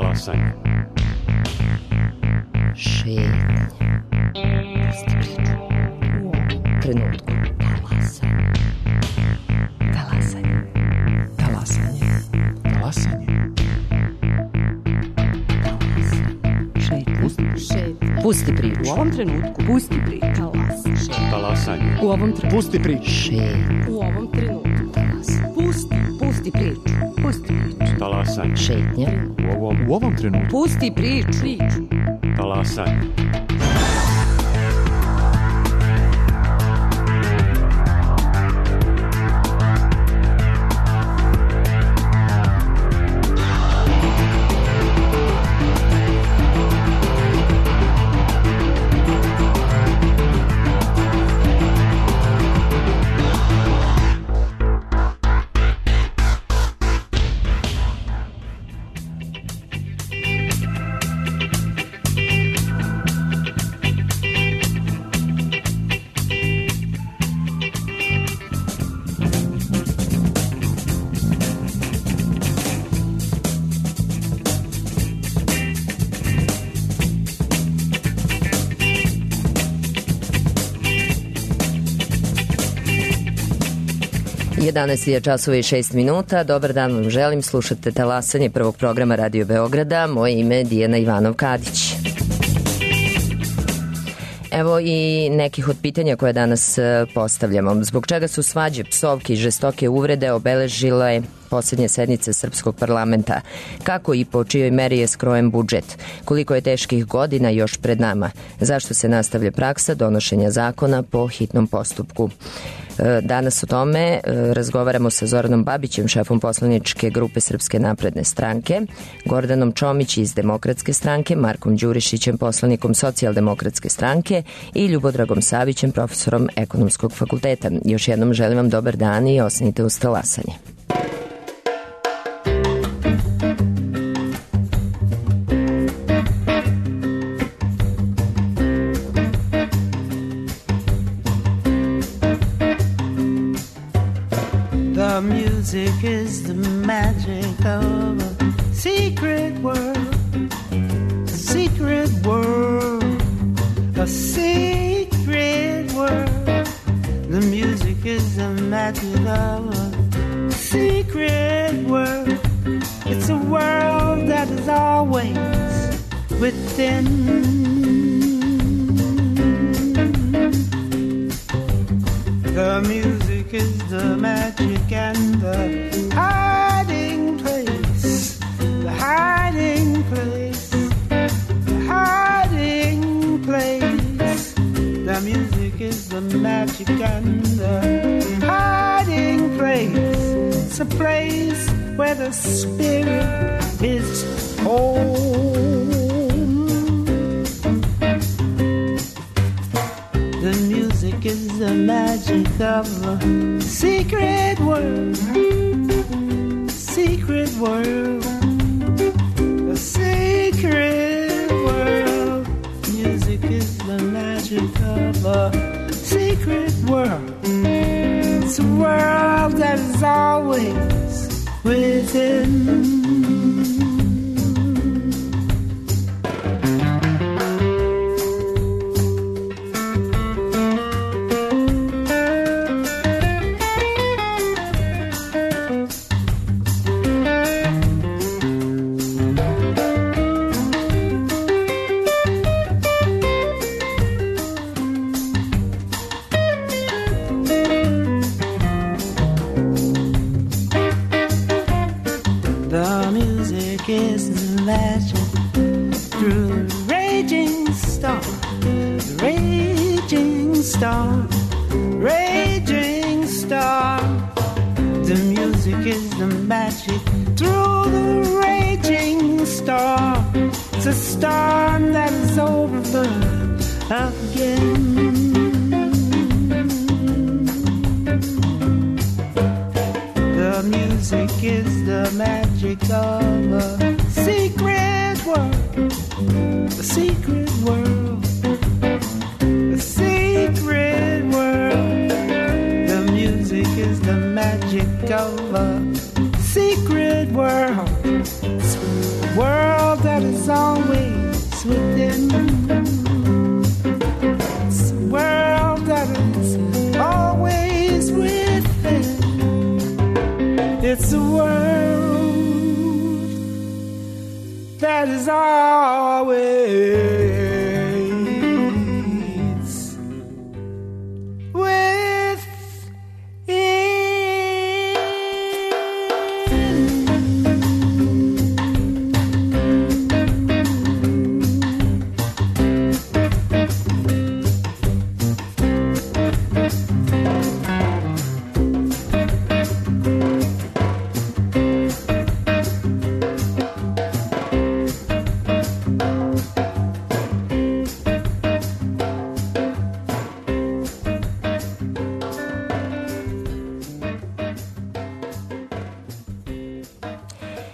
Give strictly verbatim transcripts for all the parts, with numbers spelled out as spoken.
Talasanje. Šetnje. Pusti priču. U ovom trenutku. Talasanje. Talasanje. Talasanje. Talasanje. Šetnje. Pusti priču. U ovom trenutku. Pusti priču. Talasanje. Talasanje. U ovom trenutku. Pusti priču. Šetnje. U ovom trenutku. Talasanje. Pusti. Pusti priču. Pusti priču. Talasanje. Šetnje. U ovom, U ovom trenutku. Pusti priču. Priču. talasanje. jedanaest je časova i šest minuta. Dobar dan vam želim. Slušate Talasanje prvog programa Radio Beograda. Moje ime je Dijana Ivanov-Kadić. Evo i nekih od pitanja koje danas postavljamo. Zbog čega su svađe, psovke i žestoke uvrede obeležile posljednje sednice Srpskog parlamenta? Kako i po čijoj meri je skrojen budžet? Koliko je teških godina još pred nama? Zašto se nastavlja praksa donošenja zakona po hitnom postupku? Danas o tome razgovaramo sa Zoranom Babićem, šefom poslaničke grupe Srpske napredne stranke, Gordanom Čomić iz Demokratske stranke, Markom Đurišićem, poslanikom Socijaldemokratske stranke i Ljubodragom Savićem, profesorom Ekonomskog fakulteta. Još jednom želim vam dobar dan i ostanite uz Talasanje. The music is the magic of a secret world, a secret world, a secret world. The music is the magic of a secret world. It's a world that is always within. The music is the magic and the hiding place, the hiding place, the hiding place. The music is the magic and the hiding place. It's a place where the spirit is home. The music is the magic of a secret world, secret world, a secret world. Music is the magic of a secret world. It's a world that is always within. World It's a world that is always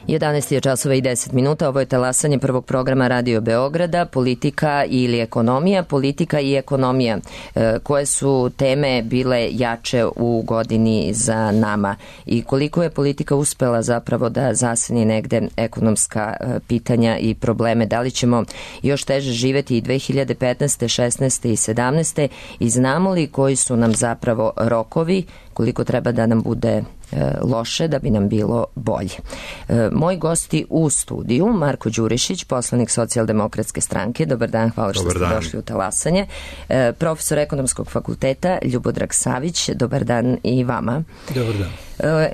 jedanaest je časova i deset minuta, ovo je talasanje prvog programa Radio Beograda, politika ili ekonomija, politika i ekonomija. E, koje su teme bile jače u godini za nama i koliko je politika uspela zapravo da zaseni negde ekonomska e, pitanja i probleme? Da li ćemo još teže živeti i dve hiljade petnaeste, šesnaeste i sedamnaeste i znamo li koji su nam zapravo rokovi, koliko treba da nam bude loše da bi nam bilo bolje. Moji gosti u studiju, Marko Đurišić, poslanik Socijaldemokratske stranke. Dobar dan, hvala što ste došli u talasanje. Profesor Ekonomskog fakulteta Ljubodrag Savić, dobar dan i vama. Dobar dan.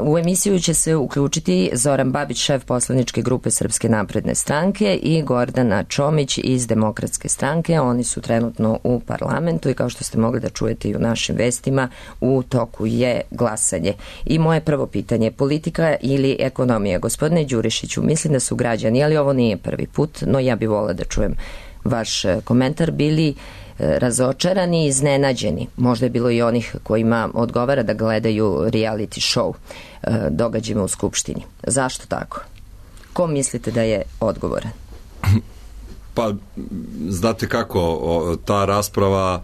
U emisiju će se uključiti Zoran Babić, šef poslaničke grupe Srpske napredne stranke, i Gordana Čomić iz Demokratske stranke. Oni su trenutno u parlamentu i kao što ste mogli da čujete i u našim vestima, u toku je glasanje. I moje prvo pitanje, politika ili ekonomija? Gospodine Đurišiću, mislim da su građani, ali ovo nije prvi put, no ja bih volila da čujem vaš komentar, bili razočarani i iznenađeni. Možda je bilo i onih kojima odgovara da gledaju reality show događajima u Skupštini. Zašto tako? Ko mislite da je odgovoran? Pa, znate kako, ta rasprava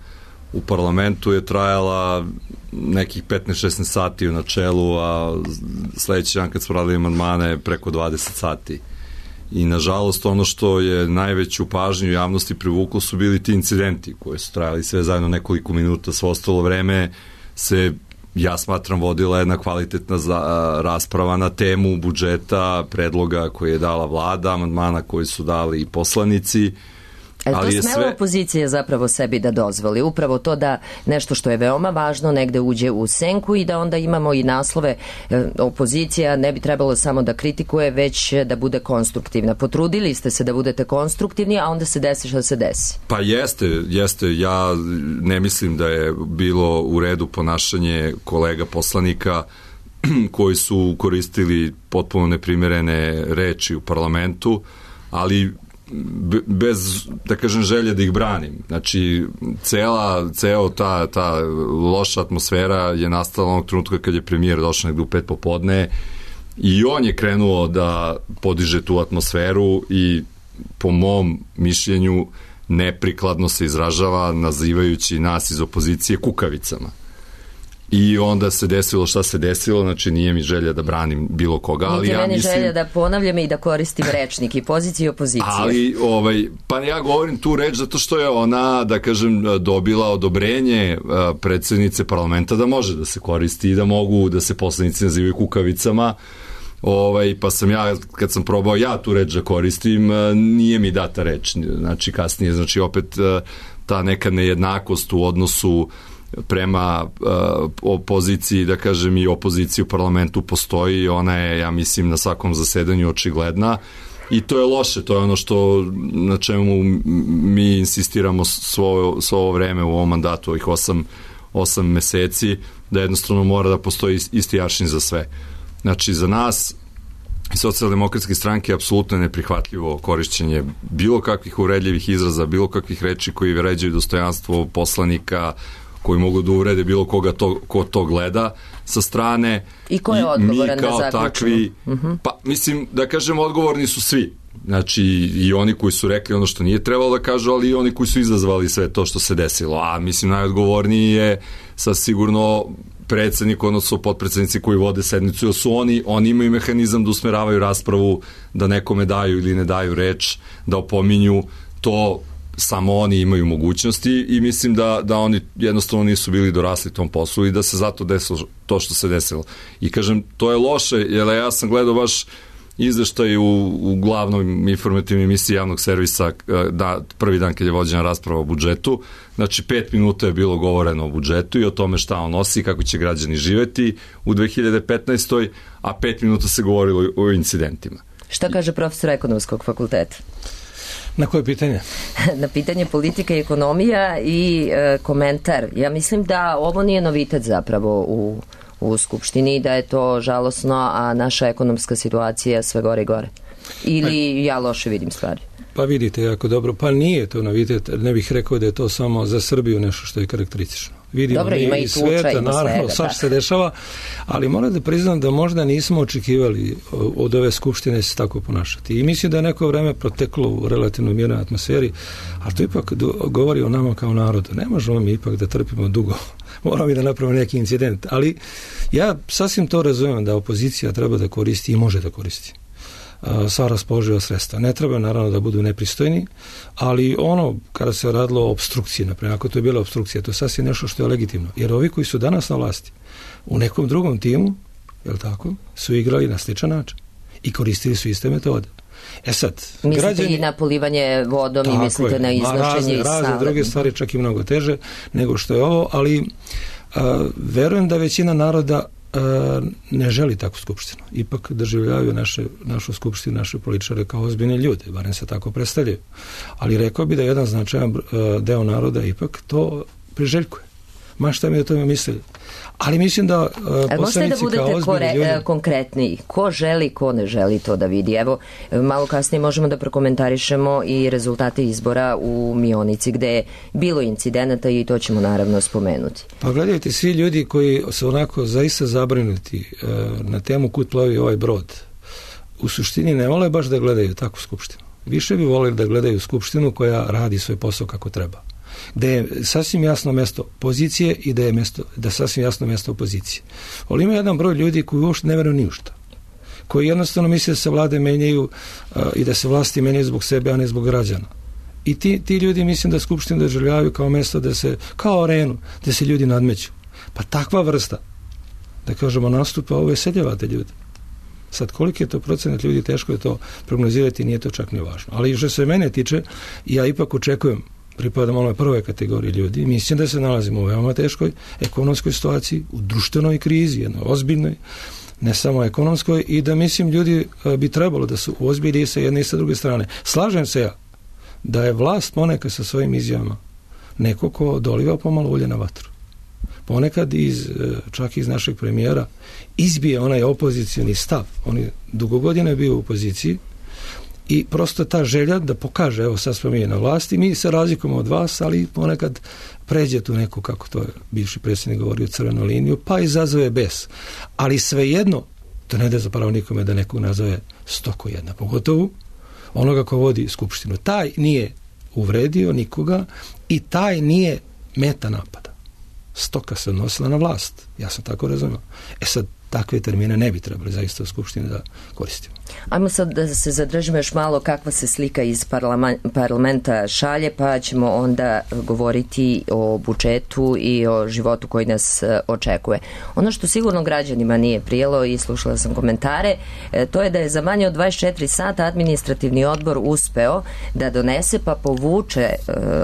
u parlamentu je trajala nekih petnaest šesnaest sati u načelu, a sledeći dan kad smo radili amandmane preko dvadeset sati. I nažalost ono što je najveću pažnju javnosti privuklo su bili ti incidenti koji su trajali sve zajedno nekoliko minuta, svo ostalo vreme se, ja smatram, vodila jedna kvalitetna za, rasprava na temu budžeta, predloga koje je dala vlada, amandmana koji su dali i poslanici. Ali to smela sve... opozicija zapravo sebi da dozvoli, upravo to da nešto što je veoma važno negde uđe u senku i da onda imamo i naslove, opozicija ne bi trebalo samo da kritikuje, već da bude konstruktivna. Potrudili ste se da budete konstruktivni, a onda se desi što se desi. Pa jeste, jeste. Ja ne mislim da je bilo u redu ponašanje kolega poslanika koji su koristili potpuno neprimerene reči u parlamentu, ali bez, da kažem, želje da ih branim. Znači, cela, ceo ta, ta loša atmosfera je nastala onog trenutka kad je premijer došao negde u pet popodne i on je krenuo da podiže tu atmosferu i po mom mišljenju neprikladno se izražava nazivajući nas iz opozicije kukavicama. I onda se desilo šta se desilo, znači nije mi želja da branim bilo koga, ali Niti ja meni mislim... želja da ponavljam i da koristim rečnik i pozicije i opozicije. Ali, ovaj, pa ja govorim tu reč zato što je ona, da kažem, dobila odobrenje predsednice parlamenta da može da se koristi i da mogu da se poslanici nazivaju kukavicama. Ovaj, pa sam ja, kad sam probao ja tu reč da koristim, nije mi data reč, znači kasnije, znači opet ta neka nejednakost u odnosu prema uh, opoziciji, da kažem, i opoziciji u parlamentu postoji i ona je, ja mislim, na svakom zasedanju očigledna i to je loše, to je ono što na čemu mi insistiramo svo, svo ovo vreme u ovom mandatu, ovih osam, osam meseci, da jednostavno mora da postoji isti aršin za sve. Znači, za nas i Socijaldemokratske stranke je apsolutno neprihvatljivo korišćenje bilo kakvih uvredljivih izraza, bilo kakvih reči koji vređaju dostojanstvo poslanika, koji mogu da uvrede bilo koga to, ko to gleda sa strane. I ko je odgovoran da zaključimo? Takvi, uh-huh. Pa mislim, da kažem, odgovorni su svi. Znači, i oni koji su rekli ono što nije trebalo da kažu, ali i oni koji su izazvali sve to što se desilo. A mislim, najodgovorniji je sa sigurno predsednik, odnosno potpredsednici koji vode sednicu, jer su oni, oni imaju mehanizam da usmeravaju raspravu, da nekome daju ili ne daju reč, da opominju to. Samo oni imaju mogućnosti i mislim da, da oni jednostavno nisu bili dorasli tom poslu i da se zato desilo to što se desilo. I kažem, to je loše, jer ja sam gledao baš izveštaj u, u glavnom informativnoj emisiji javnog servisa da, prvi dan kad je vođena rasprava o budžetu. Znači, pet minuta je bilo govoreno o budžetu i o tome šta on nosi, kako će građani živeti u dve hiljade petnaestoj. a pet minuta se govorilo o incidentima. Šta kaže profesor ekonomskog fakulteta? Na koje pitanje? Na pitanje politika i ekonomija i e, komentar. Ja mislim da ovo nije novitet zapravo u, u Skupštini i da je to žalosno, a naša ekonomska situacija sve gore i gore. Ili ja loše vidim stvari. Pa vidite jako dobro. Pa nije to novitet. Ne bih rekao da je to samo za Srbiju nešto što je karakteristično. Vidimo dobro, ima i tuča, sveta, ima naravno, sad se dešava, ali moram da priznam da možda nismo očekivali od ove skupštine se tako ponašati. I mislim da je neko vreme proteklo u relativno mirnoj atmosferi, ali to ipak govori o nama kao narodu. Ne možemo mi ipak da trpimo dugo. Moramo i da napravimo neki incident. Ali ja sasvim to razumijem da opozicija treba da koristi i može da koristi sva raspoloživa sredstva. Ne treba naravno da budu nepristojni, ali ono kada se radilo o opstrukciji, naprimjer, ako to je bila opstrukcija, to je sasvim nešto što je legitimno. Jer ovi koji su danas na vlasti u nekom drugom timu, je li tako, su igrali na sličan način i koristili su iste metode. E sad, mislite građani, i na polivanje vodom i mislite je, na iznošenje iz sale. Razne druge stvari, čak i mnogo teže nego što je ovo, ali a, verujem da većina naroda ne želi takvu skupštinu. Ipak doživljavaju naše, našu skupštinu, naše političare kao ozbiljne ljude, barem se tako predstavljaju. Ali rekao bi da jedan značajan deo naroda ipak to priželjkuje. Ma šta mi o tome mislili. Ali mislim da uh, poslanici da kao ozbiljni ljudi... Kore, konkretniji. Ko želi, ko ne želi to da vidi? Evo, malo kasnije možemo da prokomentarišemo i rezultate izbora u Mionici, gde je bilo incidenata i to ćemo naravno spomenuti. Pa gledajte, svi ljudi koji su onako zaista zabrinuti uh, na temu kud plovi ovaj brod, u suštini ne vole baš da gledaju takvu skupštinu. Više bi volili da gledaju skupštinu koja radi svoj posao kako treba. Da je sasvim jasno mesto pozicije i da je mesto, da sasvim jasno mesto opozicije. Ali ima jedan broj ljudi koji uopšte ne veruju ni u šta. Koji jednostavno misle da se vlade menjaju uh, i da se vlasti menjaju zbog sebe, a ne zbog građana. I ti, ti ljudi mislim da skupštinu doživljavaju kao mesto da se, kao arenu, da se ljudi nadmeću. Pa takva vrsta, da kažemo, nastupa ove seljavate ljudi. Sad, koliki je to procenat ljudi, teško je to prognozirati, nije to čak ni važno. Ali što se mene tiče, ja ipak očekujem, pripadam onoj prvoj kategoriji ljudi, mislim da se nalazimo u veoma teškoj ekonomskoj situaciji, u društvenoj krizi, jednoj ozbiljnoj, ne samo ekonomskoj, i da mislim ljudi bi trebalo da su ozbiljni sa jedne i sa druge strane. Slažem se ja da je vlast ponekad sa svojim izjavama neko ko doliva pomalo ulje na vatru. Ponekad iz, čak iz našeg premijera izbije onaj opozicijni stav. On je dugo godina bio u opoziciji i prosto ta želja da pokaže, evo sad smo mi na vlasti, mi se razlikujemo od vas, ali ponekad pređe tu neku, kako to je bivši predsjednik govorio, crvenu liniju, pa izazove bes. Ali svejedno, to ne da zapravo nikome da nekog nazove stoko jedna, pogotovo onoga ko vodi skupštinu. Taj nije uvredio nikoga i taj nije meta napada. Stoka se odnosila na vlast. Ja sam tako razumio. E sad, takve termine ne bi trebali zaista u skupštini da koristimo. Ajmo sad da se zadržimo još malo kakva se slika iz parlamenta šalje, pa ćemo onda govoriti o budžetu i o životu koji nas očekuje. Ono što sigurno građanima nije prijelo i slušala sam komentare, to je da je za manje od dvadeset četiri sata administrativni odbor uspeo da donese pa povuče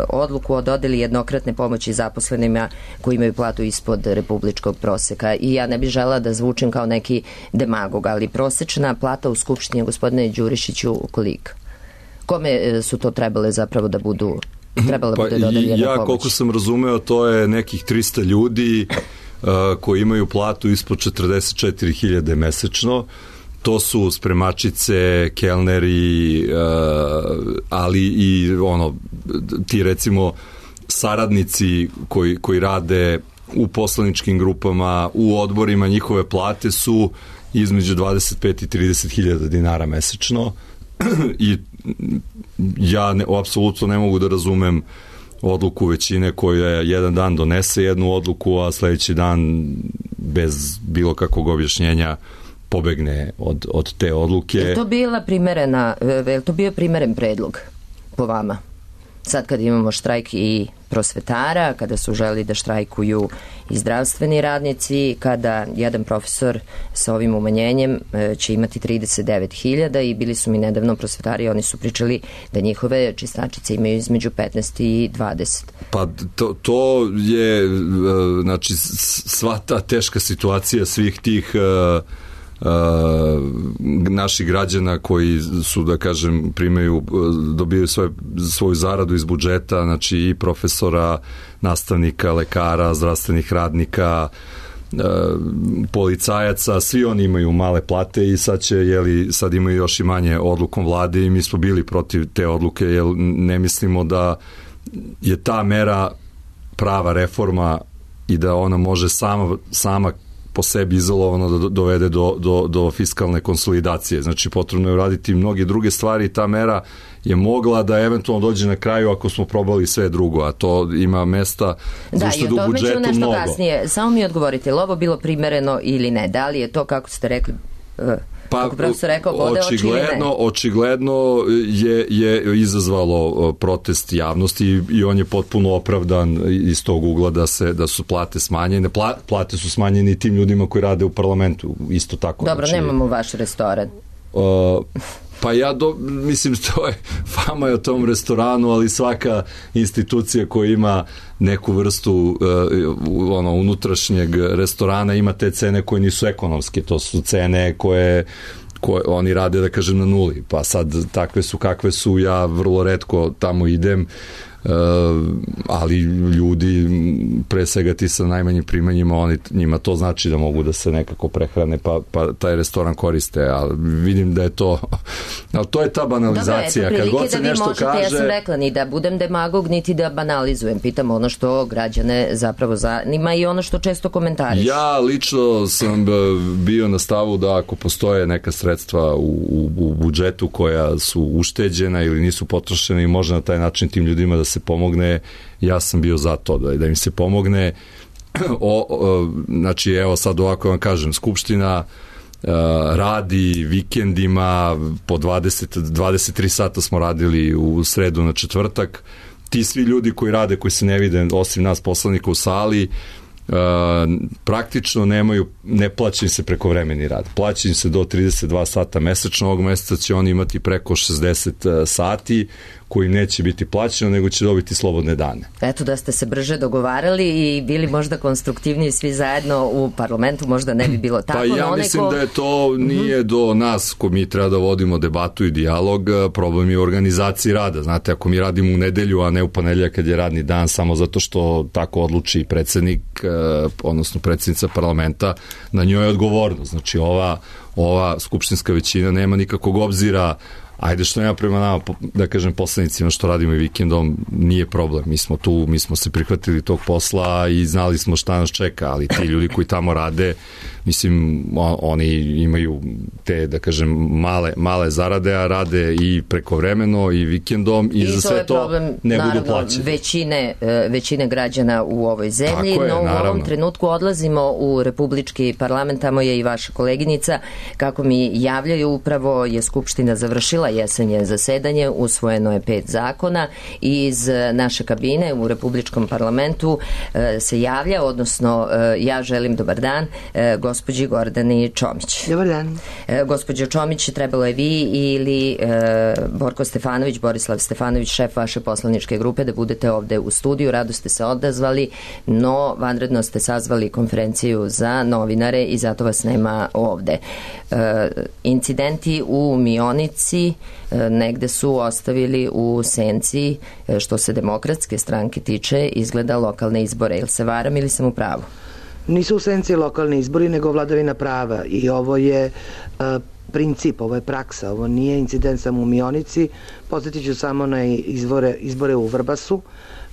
odluku o dodeli jednokratne pomoći zaposlenima koji imaju platu ispod republičkog proseka. I ja ne bih žela da zvučim kao neki demagog, ali prosečna plata u Skupštini, gospodine Đurišiću, kolika? Kome su to trebale zapravo da budu trebala da pa bude dodeljena ja, pomoć? Koliko sam razumeo, to je nekih trista ljudi uh, koji imaju platu ispod četrdeset četiri hiljade mesečno. To su spremačice, kelneri, uh, ali i ono, ti recimo saradnici koji, koji rade u poslaničkim grupama, u odborima, njihove plate su između dvadeset pet i trideset hiljada dinara mesečno i ja ne, apsolutno ne mogu da razumem odluku većine koja jedan dan donese jednu odluku, a sledeći dan bez bilo kakvog objašnjenja pobegne od, od te odluke. Je to bila primerena, je to bio primeren predlog po vama? Sad kad imamo štrajk i prosvetara, kada su želi da štrajkuju i zdravstveni radnici, kada jedan profesor sa ovim umanjenjem će imati trideset devet hiljada i bili su mi nedavno prosvetari, oni su pričali da njihove čistačice imaju između petnaest i dvadeset. Pa to, to je, znači, sva ta teška situacija svih tih uh, Uh, naših građana koji su, da kažem, primaju, dobijaju svoje, svoju zaradu iz budžeta, znači i profesora, nastavnika, lekara, zdravstvenih radnika, uh, policajaca, svi oni imaju male plate i sad će, jeli, sad imaju još i manje odlukom vlade i mi smo bili protiv te odluke, jer ne mislimo da je ta mera prava reforma i da ona može sama, sama po sebi izolovano da dovede do, do, do fiskalne konsolidacije. Znači, potrebno je uraditi mnoge druge stvari i ta mera je mogla da eventualno dođe na kraju ako smo probali sve drugo, a to ima mesta za uštedu u budžetu mnogo. Da, i o tome ću nešto kasnije. Samo mi odgovorite, je li ovo bilo primereno ili ne? Da li je to, kako ste rekli, pa, kako profesor rekao, bode oči ili ne? Očigledno je, je izazvalo protest javnosti i on je potpuno opravdan iz tog ugla da, se, da su plate smanjene. Pla, plate su smanjene i tim ljudima koji rade u parlamentu, isto tako. Dobro, znači, nemamo vaš restoran. Uh, pa ja, do, mislim, to je fama je o tom restoranu, ali svaka institucija koja ima neku vrstu uh, ono, unutrašnjeg restorana ima te cene koje nisu ekonomske, to su cene koje koje oni rade, da kažem, na nuli. Pa sad takve su kakve su, ja vrlo retko tamo idem, Uh, ali ljudi, pre svega ti sa najmanjim primanjima, oni, njima to znači da mogu da se nekako prehrane, pa, pa taj restoran koriste, ali vidim da je to, ali to je ta banalizacija. Dobro, eto, kad god se da nešto možete, kaže... Ja sam rekla, ni da budem demagog, niti da banalizujem, pitam ono što građane zapravo zanima i ono što često komentariš. Ja lično sam bio na stavu da ako postoje neka sredstva u, u, u budžetu koja su ušteđena ili nisu potrošena i može na taj način tim ljudima da se pomogne, ja sam bio za to da, da im se pomogne. O, o, znači, evo sad ovako vam kažem, Skupština uh, radi vikendima, po dvadeset, dvadeset tri sata smo radili u sredu na četvrtak. Ti svi ljudi koji rade, koji se ne vide, osim nas poslanika u sali, Uh, praktično nemaju, ne plaća im se prekovremeni rad. Plaća im se do trideset dva sata mesečno, ovog meseca će oni imati preko šezdeset sati koji neće biti plaćeno, nego će dobiti slobodne dane. Eto, da ste se brže dogovarali i bili možda konstruktivniji svi zajedno u parlamentu, možda ne bi bilo tako. Pa ja mislim ko... da je to nije mm-hmm. do nas ko mi treba da vodimo debatu i dijalog, problem je u organizaciji rada. Znate, ako mi radimo u nedelju, a ne u ponedeljak kad je radni dan, samo zato što tako odluči predsednik, odnosno predsjednica parlamenta, na njoj je odgovornost. Znači, ova, ova skupštinska većina nema nikakvog obzira. Ajde, što nema prema nama, da kažem, poslanicima što radimo i vikendom, nije problem. Mi smo tu, mi smo se prihvatili tog posla i znali smo šta nas čeka, ali ti ljudi koji tamo rade, mislim, oni imaju te, da kažem, male, male zarade, a rade i prekovremeno i vikendom i, I za sve to problem, ne naravno, budu plaćeni. Većine, većine građana u ovoj zemlji, je, no u naravno. ovom trenutku odlazimo u republički parlament, tamo je i vaša koleginica, kako mi javljaju, upravo je Skupština završila jesenje zasedanje, usvojeno je pet zakona i iz naše kabine u republičkom parlamentu se javlja, odnosno ja želim dobar dan gospođi Gordani Čomić. Dobar dan. Gospođo Čomić, trebalo je vi ili Borko Stefanović, Borislav Stefanović, šef vaše poslaničke grupe, da budete ovde u studiju, rado ste se odazvali, no vanredno ste sazvali konferenciju za novinare i zato vas nema ovde. Incidenti u Mionici negde su ostavili u senci, što se Demokratske stranke tiče, izgleda lokalne izbore. Ili se varam ili sam u pravu? Nisu u senci lokalni izbori, nego vladavina prava i ovo je uh, princip, ovo je praksa, ovo nije incident samo u Mionici. Podsjetit ću samo na izbore, izbore u Vrbasu,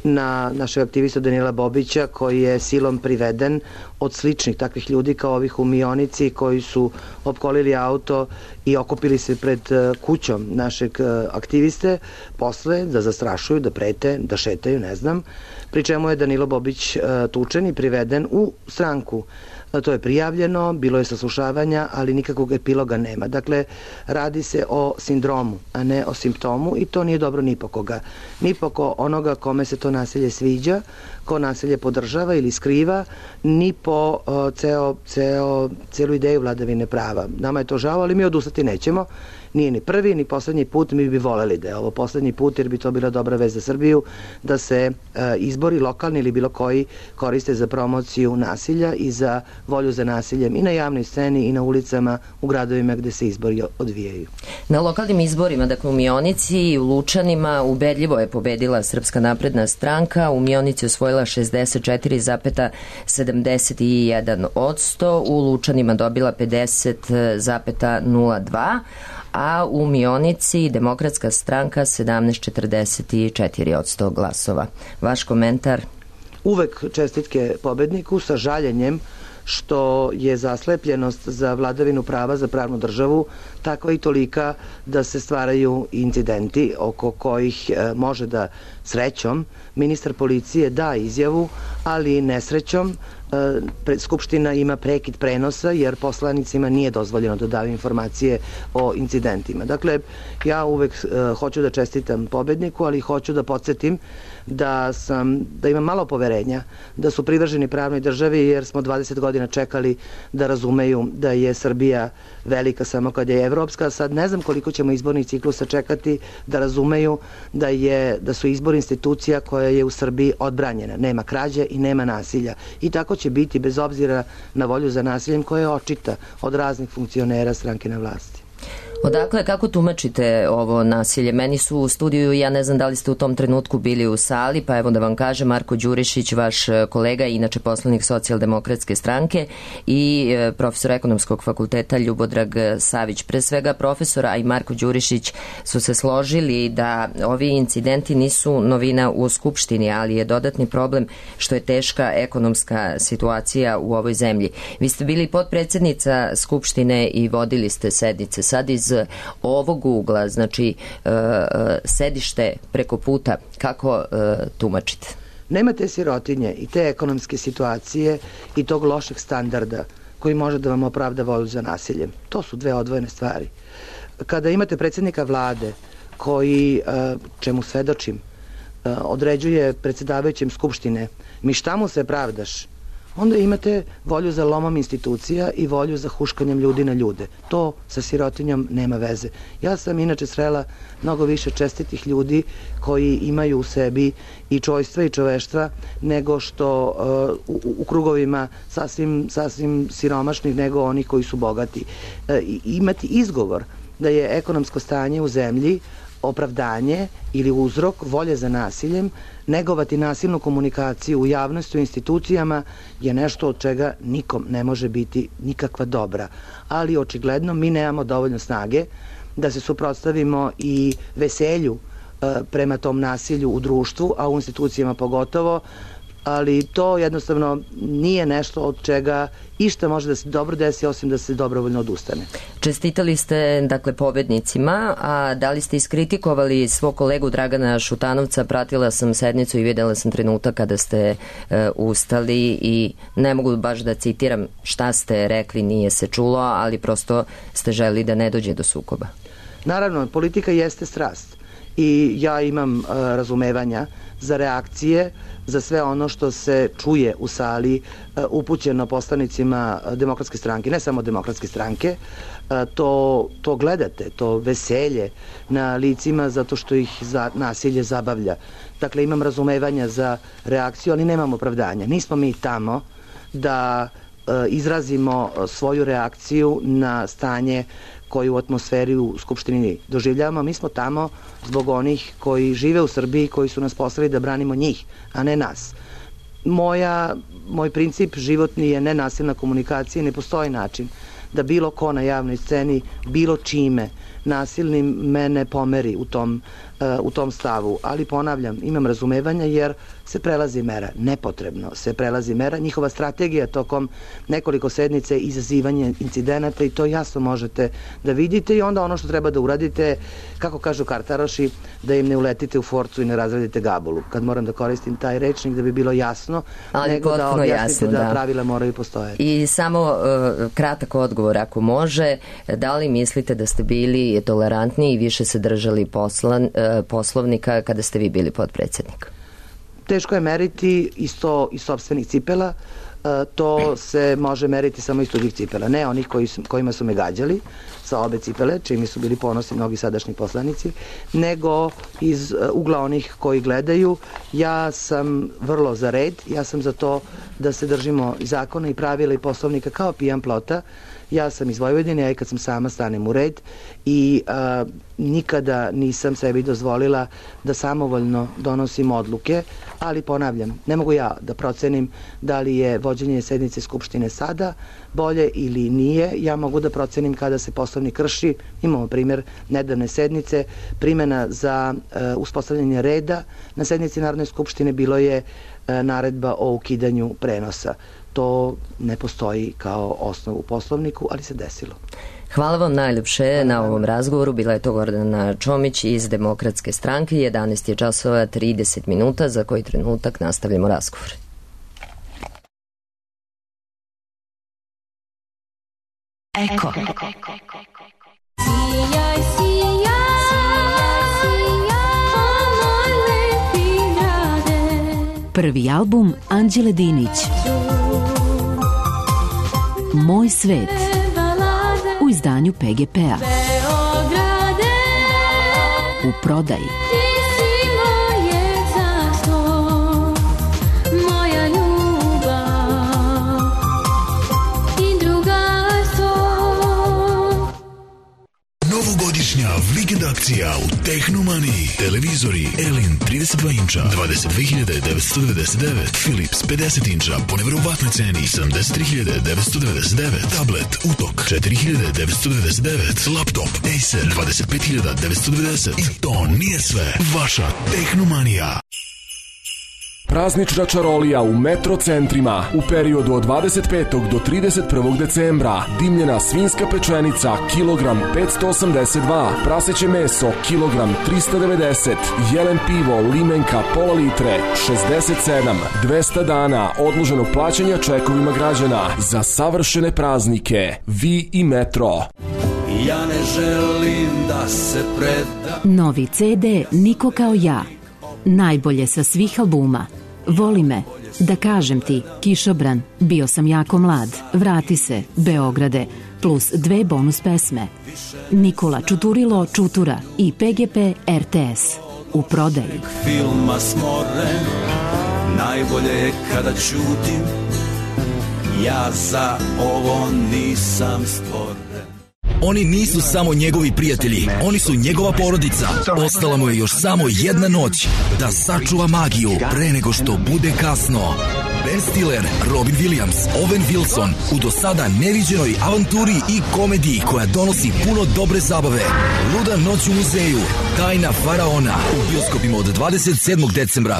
na našeg aktivista Danila Bobića koji je silom priveden od sličnih takvih ljudi kao ovih u Mionici koji su opkolili auto i okupili se pred kućom našeg aktiviste posle da zastrašuju, da prete, da šetaju, ne znam, pri čemu je Danilo Bobić tučen i priveden u stranku To je prijavljeno, bilo je saslušavanja, ali nikakvog epiloga nema. Dakle, radi se o sindromu, a ne o simptomu i to nije dobro ni po koga. Ni po ko onoga kome se to nasilje sviđa, ko nasilje podržava ili skriva, ni po uh, ceo, ceo, celu ideju vladavine prava. Nama je to žao, ali mi odustati nećemo. Nije ni prvi, ni poslednji put, mi bi voleli da je ovo poslednji put, jer bi to bila dobra vez za Srbiju, da se e, izbori lokalni ili bilo koji koriste za promociju nasilja i za volju za nasiljem i na javnoj sceni i na ulicama u gradovima gde se izbori odvijaju. Na lokalnim izborima, dakle u Mionici i u Lučanima, ubedljivo je pobedila Srpska napredna stranka, u Mionici osvojila šezdeset četiri zarez sedamdeset jedan posto, u Lučanima dobila pedeset zarez nula dva, a u Mionici Demokratska stranka sedamnaest zarez četrdeset četiri posto glasova. Vaš komentar? Uvek čestitke pobedniku sa žaljenjem što je zaslepljenost za vladavinu prava, za pravnu državu takva i tolika da se stvaraju incidenti oko kojih e, može da srećom ministar policije da izjavu, ali nesrećom e, Skupština ima prekid prenosa jer poslanicima nije dozvoljeno da daju informacije o incidentima. Dakle, ja uvek e, hoću da čestitam pobedniku, ali hoću da podsjetim da sam, da imam malo poverenja da su privrženi pravnoj državi, jer smo dvadeset godina čekali da razumeju da je Srbija velika samo kad je evropska. Sad ne znam koliko ćemo izbornih ciklusa čekati da razumeju da, je, da su izbori institucija koja je u Srbiji odbranjena. Nema krađe i nema nasilja. I tako će biti bez obzira na volju za nasiljem koja je očita od raznih funkcionera stranke na vlasti. Odakle, kako tumačite ovo nasilje? Meni su u studiju, ja ne znam da li ste u tom trenutku bili u sali, pa evo da vam kažem, Marko Đurišić, vaš kolega, inače poslanik Socijaldemokratske stranke, i profesor ekonomskog fakulteta Ljubodrag Savić. Pre svega profesor, a i Marko Đurišić su se složili da ovi incidenti nisu novina u Skupštini, ali je dodatni problem što je teška ekonomska situacija u ovoj zemlji. Vi ste bili potpredsednica Skupštine i vodili ste sednice. Sad iz ovog ugla, znači uh, sedište preko puta, kako uh, tumačite? Nema te sirotinje i te ekonomske situacije i tog lošeg standarda koji može da vam opravda volju za nasiljem. To su dve odvojene stvari. Kada imate predsjednika vlade koji, uh, čemu svedočim, uh, određuje predsjedavajućem Skupštine, mi šta mu se pravdaš, onda imate volju za lomom institucija i volju za huškanjem ljudi na ljude. To sa sirotinjom nema veze. Ja sam inače srela mnogo više čestitih ljudi koji imaju u sebi i čojstva i čoveštva nego što uh, u, u krugovima sasvim, sasvim siromašnih nego oni koji su bogati. Uh, imati izgovor da je ekonomsko stanje u zemlji opravdanje ili uzrok volje za nasiljem, negovati nasilnu komunikaciju u javnosti, u institucijama je nešto od čega nikom ne može biti nikakva dobra. Ali očigledno mi nemamo dovoljno snage da se suprotstavimo i veselju e, prema tom nasilju u društvu, a u institucijama pogotovo, ali to jednostavno nije nešto od čega išta može da se dobro desi, osim da se dobrovoljno odustane. Čestitali ste, dakle, pobednicima, a da li ste iskritikovali svog kolegu Dragana Šutanovca? Pratila sam sednicu i videla sam trenutak kada ste e, ustali i ne mogu baš da citiram šta ste rekli, nije se čulo, ali prosto ste želi da ne dođe do sukoba. Naravno, politika jeste strast i ja imam e, razumevanja za reakcije, za sve ono što se čuje u sali upućeno poslanicima Demokratske stranke, ne samo Demokratske stranke, to, to gledate, to veselje na licima zato što ih za nasilje zabavlja. Dakle, imam razumevanja za reakciju, ali nemam opravdanja. Nismo mi tamo da izrazimo svoju reakciju na stanje koju u atmosferi u Skupštini doživljavamo. Mi smo tamo zbog onih koji žive u Srbiji, koji su nas poslali da branimo njih, a ne nas. Moja, moj princip životni je nenasilna komunikacija i ne postoji način da bilo ko na javnoj sceni, bilo čime nasilnim mene pomeri u tom, uh, u tom stavu. Ali ponavljam, imam razumevanja jer se prelazi mera, nepotrebno se prelazi mera. Njihova strategija tokom nekoliko sednice je izazivanje incidenata i to jasno možete da vidite i onda ono što treba da uradite, kako kažu kartaroši, da im ne uletite u forcu i ne razradite gabulu. Kad moram da koristim taj rečnik da bi bilo jasno, ali nego da objasnite jasno, da, da pravila moraju postojati. I samo uh, kratak odgovor ako može, da li mislite da ste bili tolerantni i više se držali poslan, uh, poslovnika kada ste vi bili podpredsednik? Teško je meriti isto iz sopstvenih cipela, to se može meriti samo iz tuđih cipela, ne onih koji su, kojima su me gađali sa obe cipele, čimi su bili ponosni mnogi sadašnji poslanici, nego iz ugla onih koji gledaju. Ja sam vrlo za red, ja sam za to da se držimo zakona i pravila i poslovnika kao pijan plota. Ja sam iz Vojvodine, ja i kad sam sama stanem u red i a, nikada nisam sebi dozvolila da samovoljno donosim odluke, ali ponavljam, ne mogu ja da procenim da li je vođenje sednice Skupštine sada bolje ili nije. Ja mogu da procenim kada se poslovnik krši. Imamo primjer nedavne sednice, primjena za e, uspostavljanje reda na sednici Narodne skupštine bilo je e, naredba o ukidanju prenosa. To ne postoji kao osnov u poslovniku, ali se desilo. Hvala vam najljepše na ovom razgovoru. Bila je to Gordana Čomić iz Demokratske stranke. jedanaest je časova trideset minuta, za koji trenutak nastavljamo razgovor. Eko. Sijaj, sijaj, sijaj, moj lepi grade. Prvi album Anđele Dinić. Moj svet. U izdanju P G P-a. Beograde, U prodaji. ti si moje carstvo, moja ljubav i drugarstvo. Novogodišnja vikend akcija u Tehnomaniji. Televizori Elin trideset dva inča dvadeset dve hiljade devetsto devedeset devet, Philips pedeset inča po neverovatnoj ceni sedamdeset tri hiljade devetsto devedeset devet, tablet Utok četiri hiljade devetsto devedeset devet, laptop Acer dvadeset pet hiljada devetsto devedeset. I to nije sve. Vaša Tehnomanija. Praznična čarolija u metro centrima u periodu od dvadeset petog do trideset prvog decembra. Dimljena svinjska pečenica kilogram petsto osamdeset dva, praseće meso kilogram tristo devedeset, jelen pivo limenka pola litre šezdeset sedam, dvesta dana odloženog plaćanja čekovima građana za savršene praznike. Vi i metro. Ja ne želim da se predam. Novi C D Niko kao ja. Najbolje sa svih albuma. Voli me, da kažem ti, Kišobran, bio sam jako mlad, vrati se, Beograde, plus dve bonus pesme. Nikola Čuturilo Čutura i P G P R T S. U prodaji. Filma smoren, najbolje je kada ćutim. Ja za ovo nisam stvoren. Oni nisu samo njegovi prijatelji, oni su njegova porodica. Ostala mu je još samo jedna noć da sačuva magiju pre nego što bude kasno. Ben Stiller, Robin Williams, Owen Wilson u do sada neviđenoj avanturi i komediji koja donosi puno dobre zabave. Luda noć u muzeju, Tajna faraona u bioskopima od dvadeset sedmog decembra.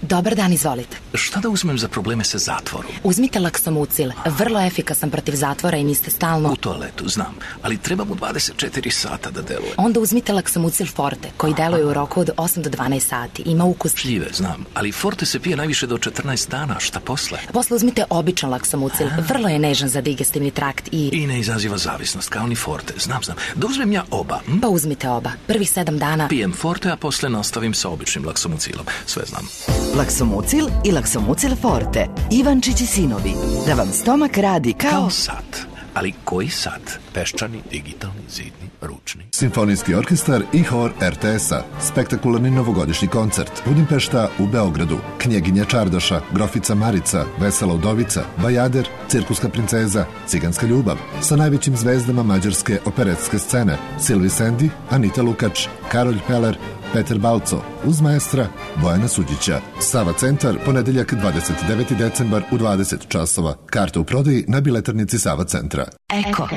Dobar dan, izvolite. Šta da uzmem za probleme sa zatvorom? Uzmite Laksomucil, vrlo efikasan protiv zatvora i niste stalno... U toaletu, znam, ali treba mu dvadeset četiri sata da deluje. Onda uzmite Laksomucil Forte, koji deluje u roku od osam do dvanaest sati. Ima ukus... Šljive, znam, ali Forte se pije najviše do četrnaest dana, šta posle? Posle uzmite običan Laksomucil, vrlo je nežan za digestivni trakt i... I ne izaziva zavisnost, kao ni Forte, znam, znam. Da uzmem ja oba? Hm? Pa uzmite oba, prvih sedam dana... Pijem Forte, a posle nastavim sa običnim Laksomucilom, sve znam. Laksomucil i Laksomucil Forte. Ivančić i sinovi. Da vam stomak radi kao... Kao sat. Ali koji sat? Peščani, digitalni, zidni, ručni. Simfonijski orkestar i hor R T S-a. Spektakularni novogodišnji koncert. Budimpešta u Beogradu. Knjeginja Čardaša, Grofica Marica, Vesela udovica, Bajader, Cirkuska princeza, Ciganska ljubav. Sa najvećim zvezdama mađarske operetske scene. Silvi Sendi, Anita Lukač, Karolj Peler, Peter Balco, uz maestra Bojana Suđića. Sava centar, ponedeljak dvadeset deveti decembar u dvadeset časova. Karte u prodaji na biletarnici Sava centra. Eko.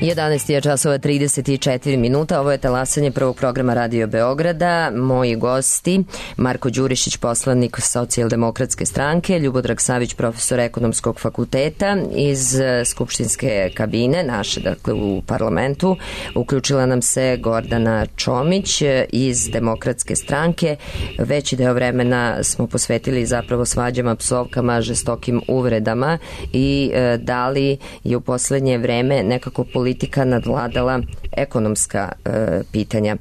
jedanaest je časova trideset četiri minuta, ovo je talasanje prvog programa Radio Beograda. Moji gosti, Marko Đurišić, poslanik Socijaldemokratske stranke, Ljubodrag Savić, profesor ekonomskog fakulteta iz skupštinske kabine, naše, dakle, u parlamentu. Uključila nam se Gordana Čomić iz Demokratske stranke. Veći deo vremena smo posvetili zapravo svađama, psovkama, žestokim uvredama i e, da li je u poslednje vreme nekako politika nadvladala ekonomska e, pitanja.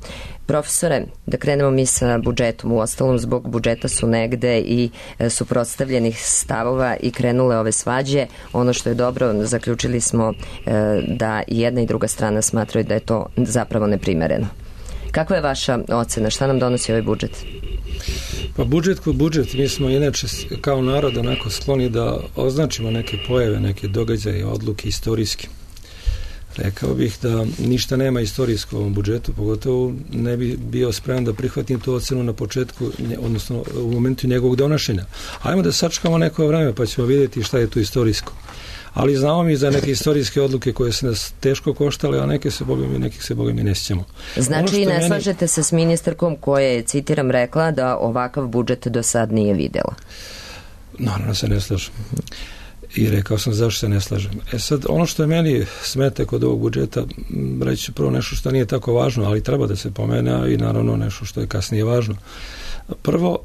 Profesore, da krenemo mi sa budžetom. U ostalom, zbog budžeta su negde i e, suprotstavljenih stavova i krenule ove svađe. Ono što je dobro, zaključili smo e, da jedna i druga strana smatraju da je to zapravo neprimereno. Kakva je vaša ocena? Šta nam donosi ovaj budžet? Pa budžet kod budžet, mi smo inače kao narod onako skloni da označimo neke pojave, neke događaje, odluke istorijski. Rekao bih da ništa nema istorijsko u ovom budžetu, pogotovo ne bi bio spreman da prihvatim tu ocenu na početku, odnosno u momentu njegovog donošenja. Ajmo da sačekamo neko vreme pa ćemo vidjeti šta je tu istorijsko. Ali znamo mi za neke istorijske odluke koje se nas teško koštale, a neke se, boga mi, nekih se, boga mi, ne sjećamo. Znači i ne meni... slažete se s ministarkom koja je, citiram, rekla da ovakav budžet do sad nije videla? Naravno se ne slažem. I rekao sam zašto se ne slažem. E sad, ono što je meni smete kod ovog budžeta, reći ću prvo nešto što nije tako važno, ali treba da se pomene, i naravno nešto što je kasnije važno. Prvo,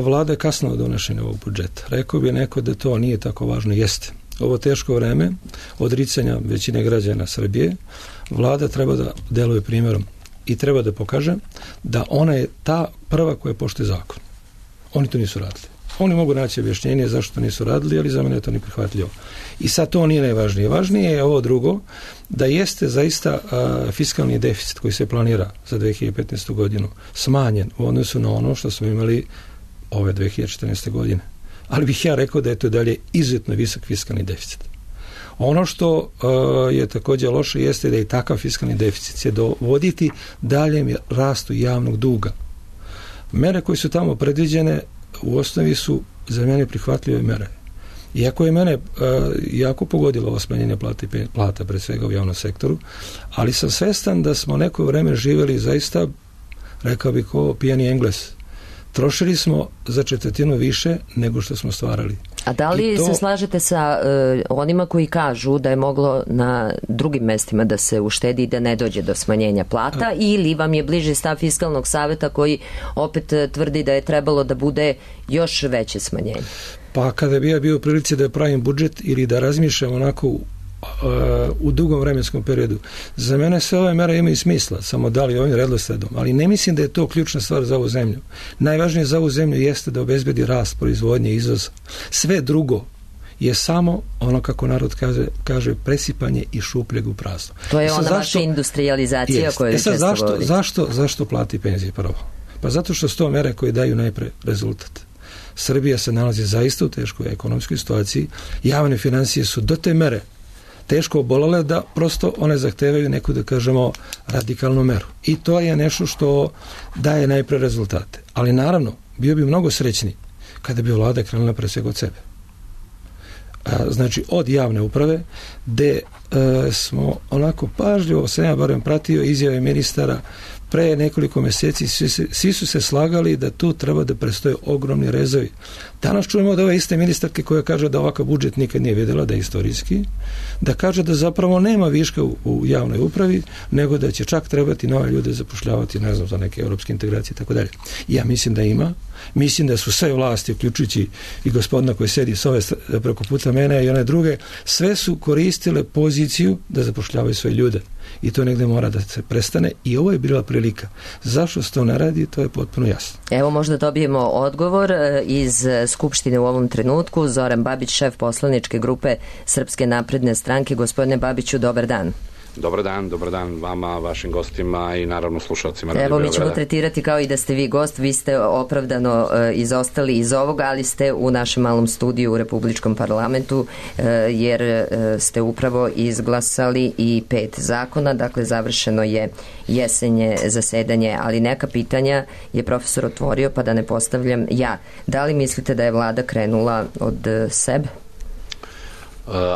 vlada je kasno od donošenja ovog budžeta. Rekao bi neko da to nije tako važno. Jeste. Ovo teško vreme odricanja većine građana Srbije, vlada treba da deluje primjerom i treba da pokaže da ona je ta prva koja poštuje zakon. Oni to nisu radili. Oni mogu naći objašnjenje zašto to nisu radili, ali za mene je to neprihvatljivo. I sad to nije najvažnije. Važnije je ovo drugo, da jeste zaista a, fiskalni deficit koji se planira za dve hiljade petnaestu godinu smanjen u odnosu na ono što smo imali ove dve hiljade četrnaeste godine. Ali bih ja rekao da je to dalje izuzetno visok fiskalni deficit. Ono što uh, je također loše jeste da i takav fiskalni deficit će dovoditi daljem rastu javnog duga. Mere koje su tamo predviđene u osnovi su za mene prihvatljive mere. Iako je mene uh, jako pogodilo ovo smanjenje plata, plata pred svega u javnom sektoru, ali sam svestan da smo neko vreme živjeli zaista, rekao bih, kao pijani Engles. Trošili smo za četvrtinu više nego što smo stvarali. A da li to... se slažete sa uh, onima koji kažu da je moglo na drugim mestima da se uštedi i da ne dođe do smanjenja plata, A... ili vam je bliže stav Fiskalnog saveta koji opet tvrdi da je trebalo da bude još veće smanjenje? Pa kada bi ja bio u prilici da pravim budžet ili da razmišljam onako u, u dugom vremenskom periodu, za mene sve ove mere imaju smisla, samo da li ovim redosledom, ali ne mislim da je to ključna stvar za ovu zemlju. Najvažnije za ovu zemlju jeste da obezbedi rast proizvodnje i izvoza. Sve drugo je samo ono, kako narod kaže, kaže presipanje i šupljeg u prazno. To je ona vaša industrializacija o kojoj često zašto, govorite. Zašto, zašto plati penzije prvo? Pa zato što su to mere koje daju najpre rezultat. Srbija se nalazi zaista u teškoj ekonomskoj situaciji, javne financije su do te mere teško obolale da prosto one zahtevaju neku, da kažemo, radikalnu meru. I to je nešto što daje najpre rezultate. Ali naravno, bio bi mnogo srećni kada bi vlada krenula pre svega od sebe. A, znači, od javne uprave, gde e, smo onako pažljivo, sam ja barem pratio izjave ministara pre nekoliko mjeseci, svi, svi su se slagali da tu treba da prestoje ogromni rezovi. Danas čujemo od ove iste ministarke koja kaže da ovakav budžet nikad nije vidjela, da je istorijski, da kaže da zapravo nema viška u, u javnoj upravi, nego da će čak trebati nove ljude zapošljavati, ne znam, za neke europske integracije i tako dalje. Ja mislim da ima. Mislim da su sve vlasti, uključujući i gospodina koji sedi s ove preko puta mene i one druge, sve su koristile poziciju da zapošljavaju svoje ljude. I to negde mora da se prestane i ovo je bila prilika. Zašto se to ne radi, to je potpuno jasno. Evo, možda dobijemo odgovor iz Skupštine u ovom trenutku. Zoran Babić, šef poslaničke grupe Srpske napredne stranke. Gospodine Babiću, dobar dan. Dobar dan, dobar dan vama, vašim gostima i naravno slušalcima Radio Evo, mi ćemo Beograda. tretirati kao i da ste vi gost. Vi ste opravdano e, izostali iz ovoga, ali ste u našem malom studiju u Republičkom parlamentu, e, jer e, ste upravo izglasali i pet zakona, dakle završeno je jesenje zasedanje, ali neka pitanja je profesor otvorio, pa da ne postavljam ja. Da li mislite da je vlada krenula od sebe?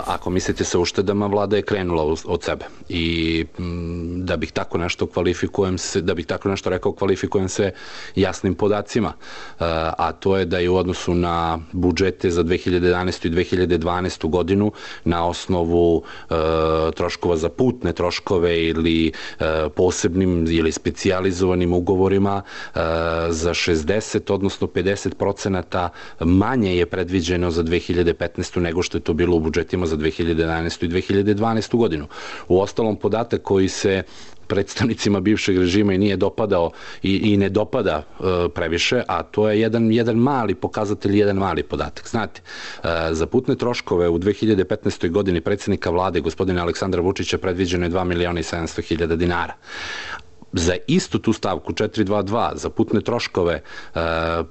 ako mislite sa uštedama, vlada je krenula od sebe i da bih tako nešto kvalifikujem se, da bih tako nešto rekao, kvalifikujem se jasnim podacima, a to je da je u odnosu na budžete za dve hiljade jedanaestu i dve hiljade dvanaestu godinu na osnovu troškova za putne troškove ili posebnim ili specijalizovanim ugovorima za šezdeset odnosno pedeset procenata manje je predviđeno za dve hiljade petnaestu nego što je to bilo u budžetima za dve hiljade jedanaestu i dve hiljade dvanaestu godinu. U ostalom, podatak koji se predstavnicima bivšeg režima i nije dopadao i, i ne dopada e, previše, a to je jedan, jedan mali pokazatelj, jedan mali podatak. Znate, e, za putne troškove u dve hiljade petnaestoj godini predsjednika vlade, gospodina Aleksandra Vučića, predviđeno je dva miliona i sedamsto hiljada dinara. Za istu tu stavku četiristo dvadeset dva za putne troškove e,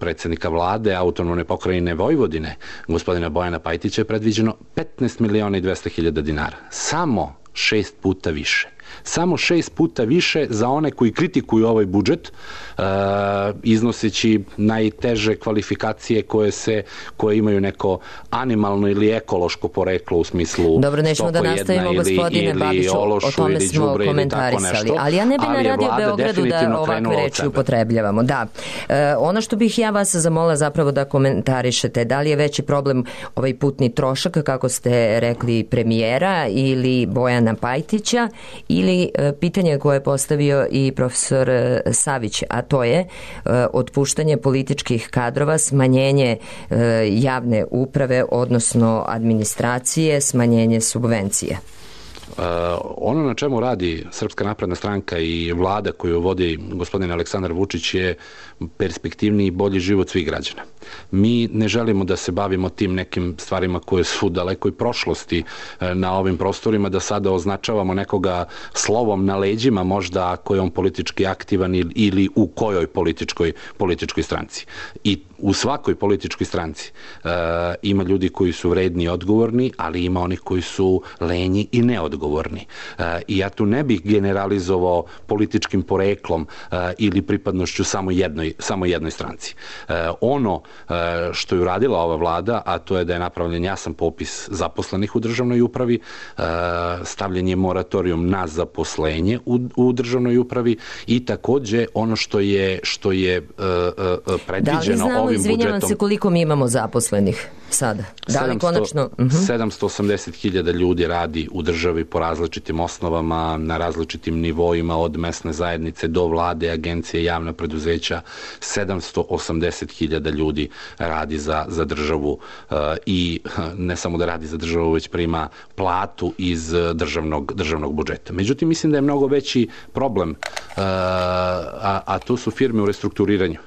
predsjednika vlade autonomne pokrajine Vojvodine, gospodina Bojana Pajtića, je predviđeno petnaest miliona i dvesta hiljada dinara. Samo šest puta više. Samo šest puta više za one koji kritikuju ovaj budžet, e, iznoseći najteže kvalifikacije koje se koje imaju neko animalno ili ekološko poreklo u smislu Dobro, nećemo da nastavimo, gospodine Babiću, o tome smo komentarisali, ali ja ne bi na Radio Beogradu da ovakve reči upotrebljavamo. Da. E, ono što bih ja vas zamolila zapravo da komentarišete, da li je veći problem ovaj putni trošak, kako ste rekli, premijera ili Bojana Pajtića, ili pitanje koje je postavio i profesor Savić, a to je otpuštanje političkih kadrova, smanjenje javne uprave, odnosno administracije, smanjenje subvencije. Uh, ono na čemu radi Srpska napredna stranka i vlada koju vodi gospodin Aleksandar Vučić je perspektivniji i bolji život svih građana. Mi ne želimo da se bavimo tim nekim stvarima koje su u dalekoj prošlosti na ovim prostorima, da sada označavamo nekoga slovom na leđima, možda ako je on politički aktivan ili u kojoj političkoj, političkoj stranci. I u svakoj političkoj stranci uh, ima ljudi koji su vredni i odgovorni, ali ima onih koji su lenji i neodgovorni. Uh, I ja tu ne bih generalizovao političkim poreklom uh, ili pripadnošću samo jednoj, samo jednoj stranci. Uh, ono uh, što je uradila ova vlada, a to je da je napravljen jasan popis zaposlenih u državnoj upravi, uh, stavljen je moratorijum na zaposlenje u, u državnoj upravi i takođe ono što je, što je uh, uh, predviđeno ovim budžetom. Izvinjavam se, koliko mi imamo zaposlenih sada? Da li konačno? sedamsto osamdeset hiljada ljudi radi u državi po različitim osnovama, na različitim nivoima, od mesne zajednice do vlade, agencije, javna preduzeća. sedamsto osamdeset hiljada ljudi radi za, za državu uh, i ne samo da radi za državu, već prima platu iz državnog, državnog budžeta. Međutim, mislim da je mnogo veći problem, uh, a, a to su firme u restrukturiranju,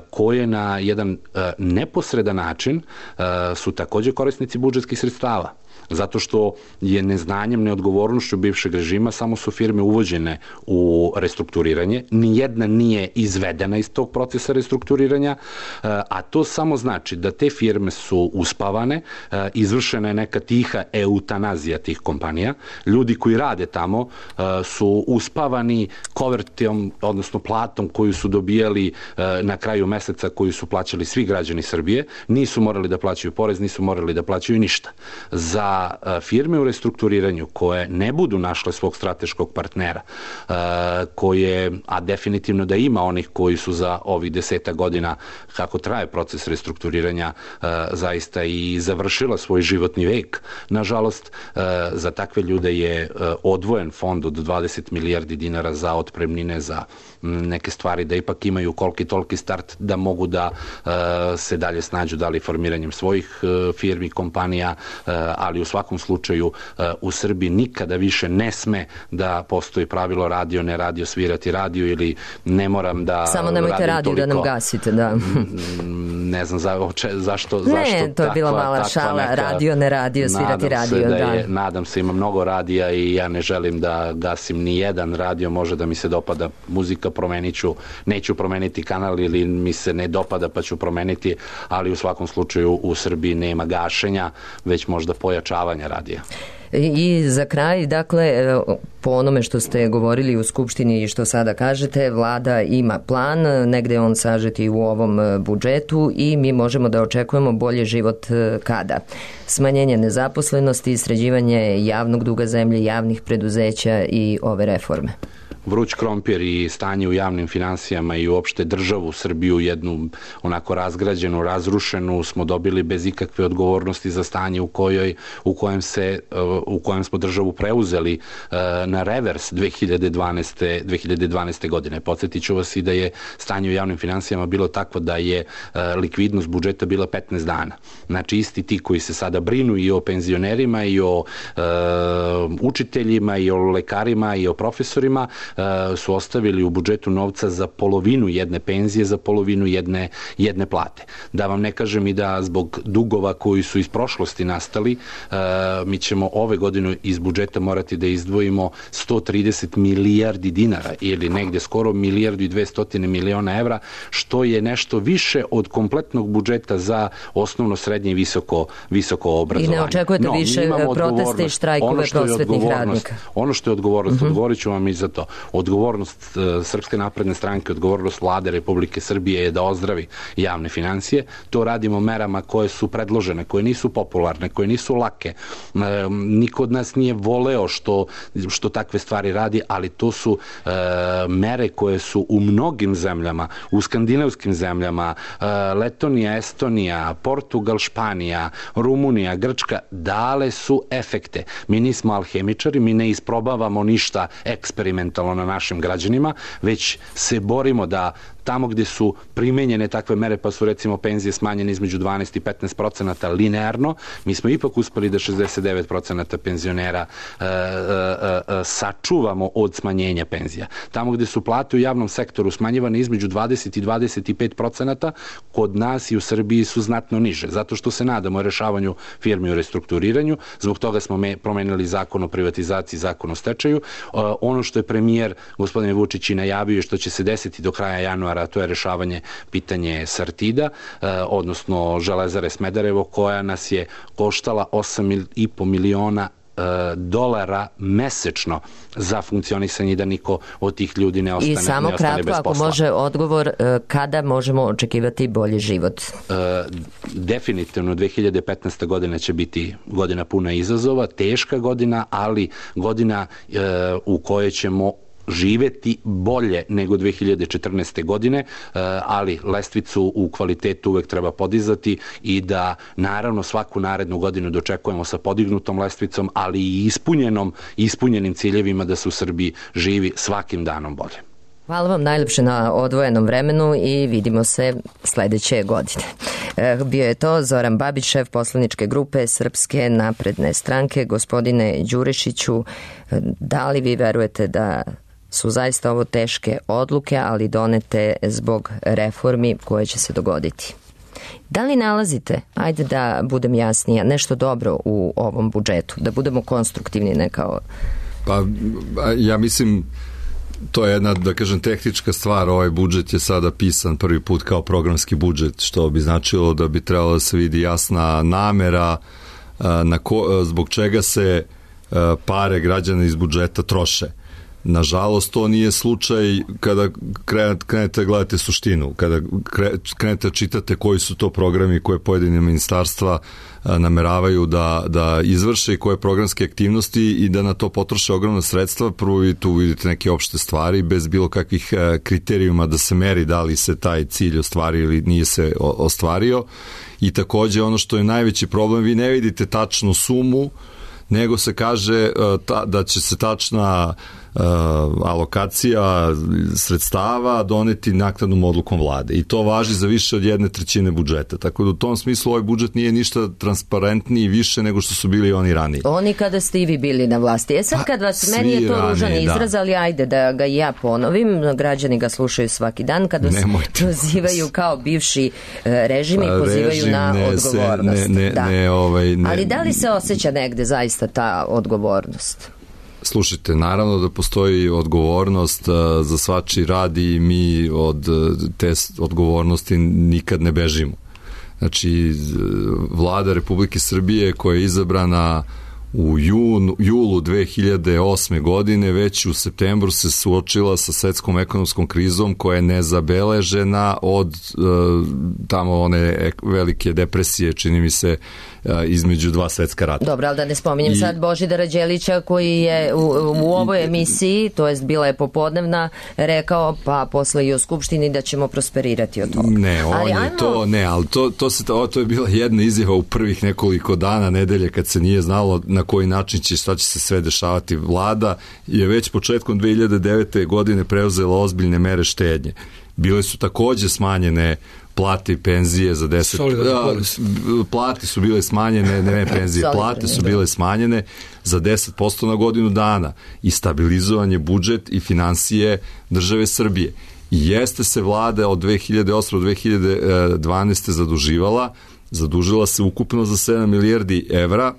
koje na jedan neposredan način su takođe korisnici budžetskih sredstava. Zato što je neznanjem, neodgovornošću bivšeg režima samo su firme uvođene u restrukturiranje, nijedna nije izvedena iz tog procesa restrukturiranja, a to samo znači da te firme su uspavane, izvršena je neka tiha eutanazija tih kompanija, ljudi koji rade tamo su uspavani kovertom, odnosno platom koju su dobijali na kraju meseca, koju su plaćali svi građani Srbije, nisu morali da plaćaju porez, nisu morali da plaćaju ništa. Za firme u restrukturiranju koje ne budu našle svog strateškog partnera, koje, a definitivno da ima onih koji su za ovih deseta godina kako traje proces restrukturiranja zaista i završila svoj životni vek, nažalost, za takve ljude je odvojen fond od dvadeset milijardi dinara za otpremnine, za neke stvari, da ipak imaju koliki toliki start, da mogu da se dalje snađu, da li formiranjem svojih firmi, kompanija, ali u svakom slučaju u Srbiji nikada više ne sme da postoji pravilo radio, ne radio, svirati radio ili ne moram da samo nemojte radio da nam gasite, da. Ne znam za, če, zašto, ne, zašto to je bila mala šala, neka, radio, ne radio, svirati radio. Da da. Je, nadam se, ima mnogo radija i ja ne želim da gasim ni jedan radio, može da mi se dopada muzika, promenit ću, neću promeniti kanal ili mi se ne dopada pa ću promeniti, ali u svakom slučaju u Srbiji nema gašenja, već možda pojačavanja radija. I za kraj, dakle, po onome što ste govorili u Skupštini i što sada kažete, vlada ima plan, negde je on sažeti u ovom budžetu i mi možemo da očekujemo bolji život kada? Smanjenje nezaposlenosti, sređivanje javnog duga zemlje, javnih preduzeća i ove reforme. Vruć krompir i stanje u javnim finansijama i uopšte državu Srbiju, jednu onako razgrađenu, razrušenu, smo dobili bez ikakve odgovornosti za stanje u kojoj u kojem se u kojem smo državu preuzeli na revers dve hiljade dvanaeste godine. Podsjetiću vas i da je stanje u javnim finansijama bilo takvo da je likvidnost budžeta bila petnaest dana. Znači isti ti koji se sada brinu i o penzionerima i o e, učiteljima i o lekarima i o profesorima su ostavili u budžetu novca za polovinu jedne penzije, za polovinu jedne, jedne plate. Da vam ne kažem i da zbog dugova koji su iz prošlosti nastali, mi ćemo ove godine iz budžeta morati da izdvojimo sto trideset milijardi dinara ili negde skoro milijardu i dvesta miliona evra, što je nešto više od kompletnog budžeta za osnovno, srednje i visoko, visoko obrazovanje. I ne očekujete no, više proteste i štrajkove prosvetnih radnika? Ono što je odgovornost, uh-huh. odgovorit ću vam i za to. Odgovornost uh, Srpske napredne stranke, odgovornost vlade Republike Srbije je da ozdravi javne financije. To radimo merama koje su predložene, koje nisu popularne, koje nisu lake. Uh, niko od nas nije voleo što, što takve stvari radi, ali to su uh, mere koje su u mnogim zemljama, u skandinavskim zemljama, uh, Letonija, Estonija, Portugal, Španija, Rumunija, Grčka, dale su efekte. Mi nismo alhemičari, mi ne isprobavamo ništa eksperimentalno na našim građanima, već se borimo da tamo gde su primenjene takve mere, pa su recimo penzije smanjene između dvanaest i petnaest procenata linearno, mi smo ipak uspeli da šezdeset devet procenata penzionera e, e, e, sačuvamo od smanjenja penzija. Tamo gde su plate u javnom sektoru smanjivane između dvadeset i dvadeset pet procenata, kod nas i u Srbiji su znatno niže, zato što se nadamo rešavanju firmi u restrukturiranju, zbog toga smo me promenili zakon o privatizaciji, zakon o stečaju. E, ono što je premijer gospodin Vučić i najavio, što će se desiti do kraja januara, a to je rešavanje pitanje Sartida, eh, odnosno Železare Smederevo, koja nas je koštala osam i po miliona eh, dolara mesečno za funkcionisanje i da niko od tih ljudi ne ostane, I samo ne ostane kratko, bez posla. ako može odgovor, eh, kada možemo očekivati bolji život? Eh, definitivno dve hiljade petnaesta godina će biti godina puna izazova, teška godina, ali godina eh, u kojoj ćemo živeti bolje nego dve hiljade četrnaeste godine, ali lestvicu u kvalitetu uvek treba podizati i da naravno svaku narednu godinu dočekujemo sa podignutom lestvicom, ali i ispunjenom, ispunjenim ciljevima da se u Srbiji živi svakim danom bolje. Hvala vam najlepše na odvojenom vremenu i vidimo se sledeće godine. Bio je to Zoran Babić, šef poslaničke grupe Srpske napredne stranke. Gospodine Đurišiću, da li vi verujete da su zaista ovo teške odluke, ali donete zbog reformi koje će se dogoditi? Da li nalazite, ajde da budem jasnija, nešto dobro u ovom budžetu, da budemo konstruktivni, ne kao... Pa ja mislim, to je jedna, da kažem, tehnička stvar. Ovaj budžet je sada pisan prvi put kao programski budžet, što bi značilo da bi trebalo da se vidi jasna namera na ko, zbog čega se pare građana iz budžeta troše. Nažalost, to nije slučaj kada krenete gledate suštinu, kada krenete čitate koji su to programi koje pojedine ministarstva nameravaju da, da izvrše i koje programske aktivnosti i da na to potroše ogromna sredstva. Prvo vi tu vidite neke opšte stvari bez bilo kakvih kriterijuma da se meri da li se taj cilj ostvario ili nije se ostvario. I takođe ono što je najveći problem, vi ne vidite tačnu sumu, nego se kaže ta, da će se tačna uh, alokacija sredstava doneti naknadnom odlukom vlade. I to važi za više od jedne trećine budžeta. Tako da u tom smislu ovaj budžet nije ništa transparentniji više nego što su bili oni ranije. Oni kada ste i vi bili na vlasti. E sad kad vas, pa, meni je to ružan izraz, da. Ali ajde da ga ja ponovim, građani ga slušaju svaki dan, kad vas prozivaju kao bivši režim i pozivaju režim na ne, odgovornost. Se, ne, ne, da. ne, ovaj, ne. Ali da li se osjeća negde zaista ta odgovornost? Slušajte, naravno da postoji odgovornost za svačiji rad i mi od te odgovornosti nikad ne bežimo. Znači, vlada Republike Srbije koja je izabrana u junu, julu dve hiljade osme godine, već u septembru se suočila sa svetskom ekonomskom krizom koja je nezabeležena od uh, tamo one velike depresije, čini mi se, uh, između dva svetska rata. Dobro, ali da ne spominjem I, sad Božidara Đelića koji je u, u ovoj emisiji, to jest bila je popodnevna, rekao pa posle i o Skupštini da ćemo prosperirati od toga. Ne, on ali je ajmo... to, ne, ali to, to, se, to, to je bila jedna izjava u prvih nekoliko dana, nedelje, kad se nije znalo na koji način će, šta će se sve dešavati. Vlada je već početkom dve hiljade devete. godine preuzela ozbiljne mere štednje. Bile su takođe smanjene plate i penzije za deset... A, plate su bile smanjene, ne, ne penzije, plate su bile smanjene za deset posto na godinu dana i stabilizovan je budžet i finansije države Srbije. I jeste se vlada od dve hiljade osme do dve hiljade dvanaeste. zaduživala, zadužila se ukupno za sedam milijardi evra,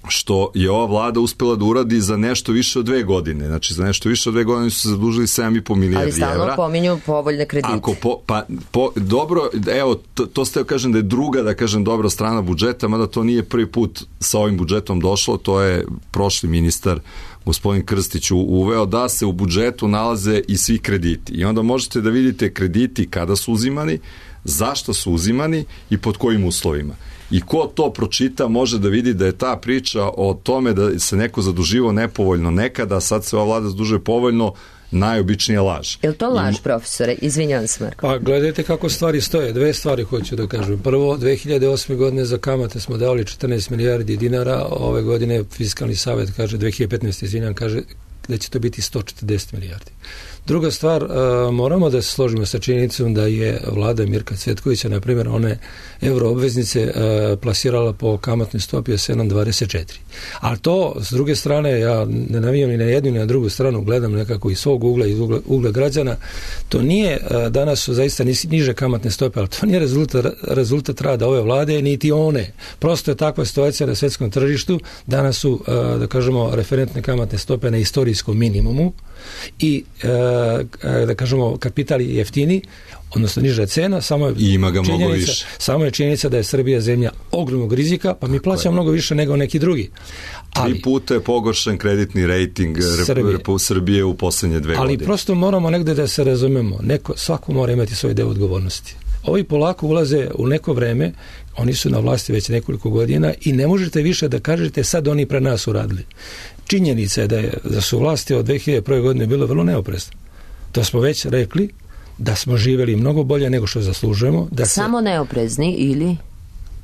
što je ova vlada uspela da uradi za nešto više od dve godine. Znači, za nešto više od dve godine su se zadužili sedam i po milijardi evra. Ali stalno pominju povoljne kredite. Ako po, pa, po, dobro, evo, to, to ste kažem da je druga, da kažem, dobra strana budžeta, mada to nije prvi put sa ovim budžetom došlo, to je prošli ministar gospodin Krstić uveo da se u budžetu nalaze i svi krediti. I onda možete da vidite krediti kada su uzimani, zašto su uzimani i pod kojim uslovima. I ko to pročita može da vidi da je ta priča o tome da se neko zaduživao nepovoljno nekada, a sad se ova vlada zadužuje povoljno, najobičnija laž. Je li to laž, profesore? Izvinjavam se, Marko. Pa gledajte kako stvari stoje. Dve stvari hoću da kažem. Prvo, dve hiljade osme. godine za kamate smo dali četrnaest milijardi dinara, ove godine Fiskalni savet kaže, dve hiljade petnaeste. izvinjam, kaže da će to biti sto četrdeset milijardi. Druga stvar, moramo da se složimo sa činjenicom da je vlada Mirka Cvetkovića, na primjer, one euroobveznice plasirala po kamatnoj stopi od sedam zarez dvadeset četiri. Ali to, s druge strane, ja ne navijam ni na jednu ni na drugu stranu, gledam nekako iz svog ugla, iz ugla, ugla građana, to nije, danas su zaista niže kamatne stope, ali to nije rezultat, rezultat rada ove vlade, niti one. Prosto je takva situacija na svetskom tržištu, danas su, da kažemo, referentne kamatne stope na istorijskom minimumu i da kažemo kapital je jeftini, odnosno niža cena, samo je I ima ga mnogo činjenica, više. samo je činjenica da je Srbija zemlja ogromnog rizika, pa mi plaćamo mnogo više nego neki drugi. Ali, Tri puta je pogoršen kreditni rejting Srbije, Srbije u poslednje dve ali godine. Ali prosto moramo negde da se razumemo. Neko, svako mora imati svoj deo odgovornosti. Ovi polako ulaze u neko vreme, oni su na vlasti već nekoliko godina i ne možete više da kažete sad oni pre nas uradili. Činjenica je da, je, da su vlasti od dve hiljade prve. godine bilo vrlo neoprezno. To smo već rekli, da smo živjeli mnogo bolje nego što zaslužujemo. Da Samo se, neoprezni ili...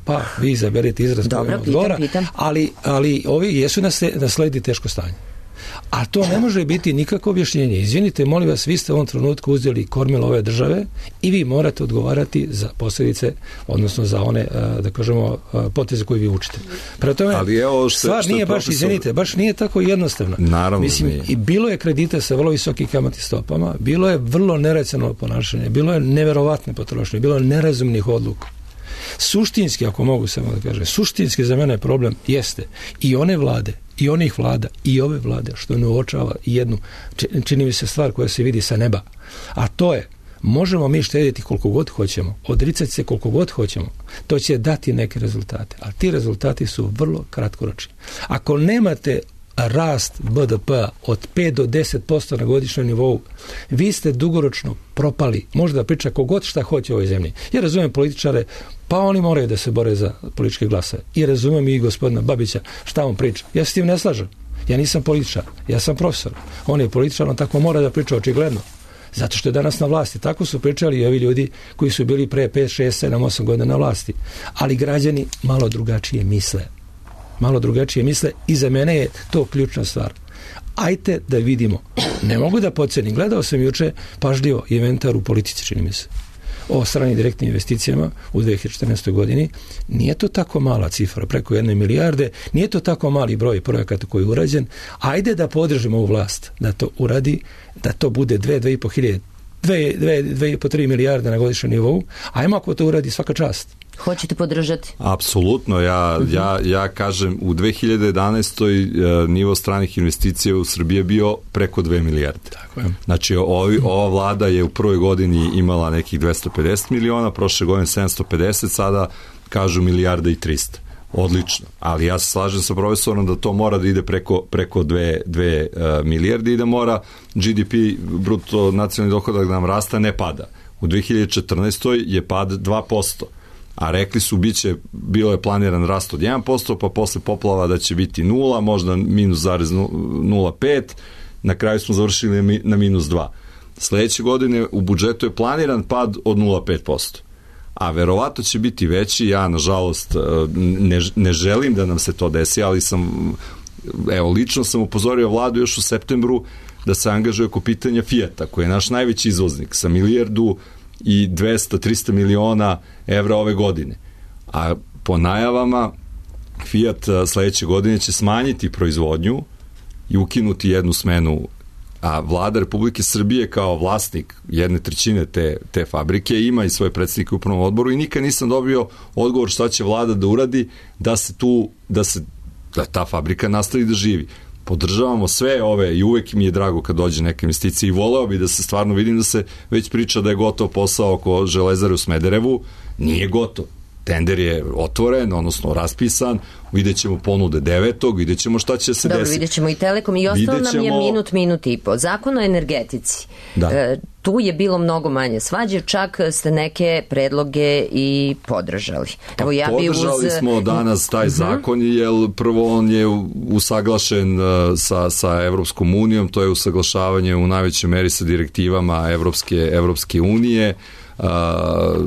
Pa, vi izaberite izraz koji vam odgovara, ali, ali ovi jesu nasledi teško stanje. A to ne može biti nikako objašnjenje. Izvinite, molim vas, vi ste u ovom trenutku uzeli kormilo ove države i vi morate odgovarati za posljedice, odnosno za one, da kažemo, poteze koje vi učite. Prema tome, ali evo što, stvar što nije baš, profesor... izvinite, baš nije tako jednostavno. Naravno Mislim, nije. I bilo je kredita sa vrlo visokim kamatnim stopama, bilo je vrlo neracionalno ponašanje, bilo je neverovatne potrošnje, bilo je nerazumnih odluka. Suštinski, ako mogu samo da kažem, suštinski za mene problem jeste i one vlade, i onih vlada, i ove vlade, što ne uočava jednu, čini mi se stvar koja se vidi sa neba, a to je, možemo mi štediti koliko god hoćemo, odricati se koliko god hoćemo, to će dati neke rezultate, ali ti rezultati su vrlo kratkoročni. Ako nemate rast B D P od pet do deset posto na godišnjem nivou, vi ste dugoročno propali. Možda priča kogod šta hoće u ovoj zemlji. Ja razumijem političare, pa oni moraju da se bore za političke glasove. I razumijem i gospodina Babića šta on priča. Ja se s tim ne slažem. Ja nisam političar, ja sam profesor. On je političar, on tako mora da priča očigledno. Zato što je danas na vlasti. Tako su pričali i ovi ljudi koji su bili pre pet, šest, sedam, osam godina na vlasti. Ali građani malo drugačije misle. malo drugačije misle i za mene je to ključna stvar. Ajte da vidimo. Ne mogu da podcenim. Gledao sam juče pažljivo inventar u politici, čini mi se, o stranim direktnim investicijama u dve hiljade četrnaestoj. godini. Nije to tako mala cifra, preko jedne milijarde, nije to tako mali broj projekata koji je urađen. Ajde da podržimo ovu vlast da to uradi, da to bude dve, dve i po hiljade, dve, dve, dve i po tri milijarde na godišnjem nivou. Ajmo ako to uradi, svaka čast. Hoćete podržati? Apsolutno, ja, ja, ja kažem u dve hiljade jedanaestoj. nivo stranih investicija u Srbiji je bio preko dve milijarde. Tako je. Znači ovi, ova vlada je u prvoj godini imala nekih dvesta pedeset miliona, prošle godine sedamsto pedeset, sada kažu milijarda i trista. odlično, ali ja se slažem sa profesorom da to mora da ide preko, preko dve, dve uh, milijarde i da mora G D P, bruto nacionalni dohodak da nam rasta, ne pada. U dve hiljade četrnaestoj je pad dva posto, a rekli su biće, bilo je planiran rast od jedan posto, pa posle poplava da će biti nula, možda minus zarez nula pet, na kraju smo završili na minus dva. Sledeće godine u budžetu je planiran pad od nula zarez pet posto. A verovatno će biti veći, ja nažalost ne, ne želim da nam se to desi, ali sam, evo, lično sam upozorio vladu još u septembru da se angažuje oko pitanja Fijata, koji je naš najveći izvoznik, sa milijardu i dvesta do trista miliona evra ove godine. A po najavama Fijat sledeće godine će smanjiti proizvodnju i ukinuti jednu smenu, a vlada Republike Srbije kao vlasnik jedne trećine te, te fabrike ima i svoje predstavnike u upravnom odboru i nikad nisam dobio odgovor šta će vlada da uradi da se tu, da se da ta fabrika nastavi da živi. Podržavamo sve ove i uvek mi je drago kad dođe neka investicija i voleo bi da se stvarno, vidim da se već priča da je gotov posao oko Železare u Smederevu, nije gotov. Tender je otvoren, odnosno raspisan, vidjet ćemo ponude devetog, vidjet ćemo šta će se Dobro, desiti. Vidjet ćemo i Telekom i ostalo nam je minut, minut i po. Zakon o energetici. Da. E, tu je bilo mnogo manje svađe, čak ste neke predloge i podržali. Evo, ja bi podržali uz... smo danas taj zakon, jer prvo on je usaglašen sa, sa Evropskom unijom, to je usaglašavanje u najvećoj meri sa direktivama Evropske, Evropske unije, Uh,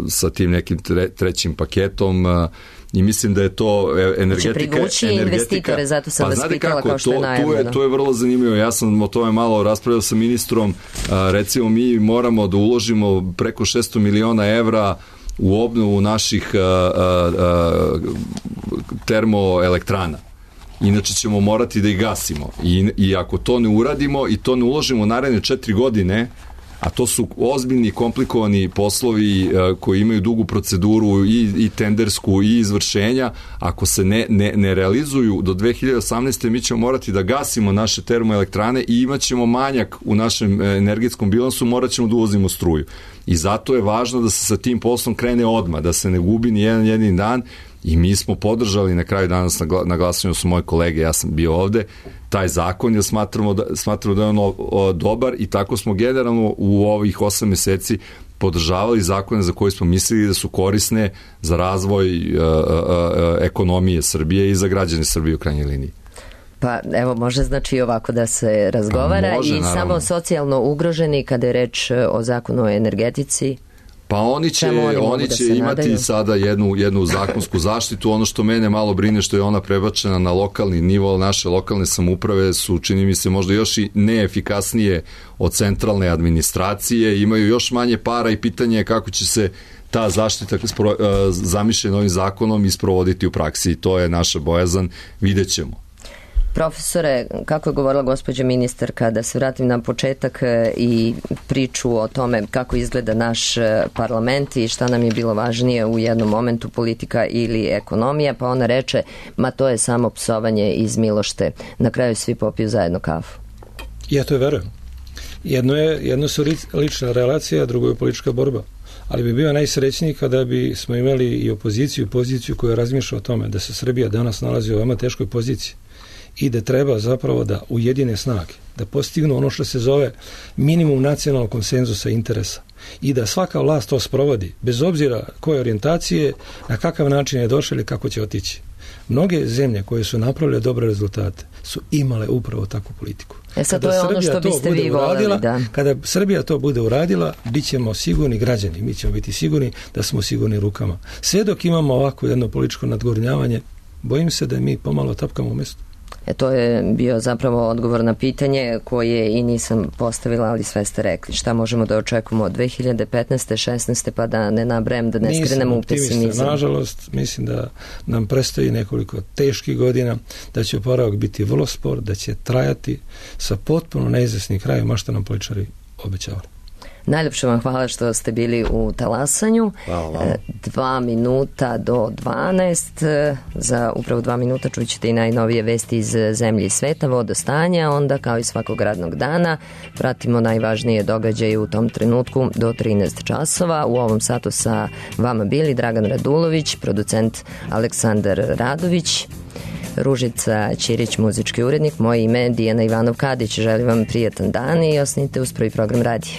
sa tim nekim tre, trećim paketom uh, i mislim da je to energetika. Će privući investitore, zato sam pa, vas pitala kako, kao što to, je najavljeno. To je, to je vrlo zanimljivo, ja sam o tome malo raspravljao sa ministrom, uh, recimo mi moramo da uložimo preko šesto miliona evra u obnovu naših uh, uh, uh, termoelektrana. Inače ćemo morati da ih gasimo I, i ako to ne uradimo i to ne uložimo u naredne četiri godine, a to su ozbiljni, komplikovani poslovi uh, koji imaju dugu proceduru i, i tendersku i izvršenja, ako se ne, ne, ne realizuju do dve hiljade osamnaeste. mi ćemo morati da gasimo naše termoelektrane i imat ćemo manjak u našem energetskom bilansu, morat ćemo da uvozimo struju. I zato je važno da se sa tim poslom krene odmah, da se ne gubi ni jedan jedini dan. I mi smo podržali na kraju danas na, na glasanju su moje kolege, ja sam bio ovde, taj zakon, jer smatramo da, smatramo da je on o, o, dobar i tako smo generalno u ovih osam meseci podržavali zakone za koje smo mislili da su korisne za razvoj uh, uh, uh, ekonomije Srbije i za građane Srbije u krajnjoj liniji. Pa evo, može znači ovako da se razgovara pa može, i naravno. Samo socijalno ugroženi kada je reč o zakonu o energetici. Pa oni će, oni, oni će da imati nadaju? sada jednu, jednu zakonsku zaštitu. Ono što mene malo brine što je ona prebačena na lokalni nivo, naše lokalne samouprave su, čini mi se, možda još i neefikasnije od centralne administracije, imaju još manje para i pitanje je kako će se ta zaštita zamišljena ovim zakonom isprovoditi u praksi i to je naša bojazan, vidjet ćemo. Profesore, kako je govorila gospođa ministarka, da se vratim na početak i priču o tome kako izgleda naš parlament i šta nam je bilo važnije u jednom momentu, politika ili ekonomija, pa ona reče, ma to je samo psovanje iz milošte. Na kraju svi popiju zajedno kafu. Ja to verujem. Jedno, je, jedno su lična relacija, a drugo je politička borba. Ali bi bio najsrećniji kada bi smo imali i opoziciju i poziciju koja razmišlja o tome da se Srbija danas nalazi u veoma teškoj poziciji i da treba zapravo da ujedine snage, da postignu ono što se zove minimum nacionalnog konsenzusa interesa i da svaka vlast to sprovodi, bez obzira koje orijentacije, na kakav način je došla ili kako će otići. Mnoge zemlje koje su napravile dobre rezultate su imale upravo takvu politiku. E sad, to je ono što biste vi voleli, da. Kada Srbija to bude uradila, bit ćemo sigurni građani, mi ćemo biti sigurni da smo sigurni rukama. Sve dok imamo ovako jedno političko nadgornjavanje, bojim se da mi pomalo tapkamo u mestu. E, to je bio zapravo odgovor na pitanje koje i nisam postavila, ali sve ste rekli. Šta možemo da očekujemo od dve hiljade petnaeste. šesnaeste. pa da ne nabrajem, da ne nisam skrenemo u pesimizam. Nažalost, mislim da nam predstoji nekoliko teških godina, da će oporavak biti vrlo spor, da će trajati sa potpuno neizvesnim krajem, a što nam političari obećavali. Najljepše vam hvala što ste bili u talasanju. Hvala. Dva minuta do dvanaest. Za upravo dva minuta čućete i najnovije vesti iz zemlje i sveta, vodostanja, onda kao i svakog radnog dana pratimo najvažnije događaje u tom trenutku do trinaest časova. U ovom satu sa vama bili Dragan Radulović, producent Aleksandar Radović, Ružica Ćirić, muzički urednik, moje ime Dijana Ivanov-Kadić. Želim vam prijatan dan i osnite uz prvi program radija.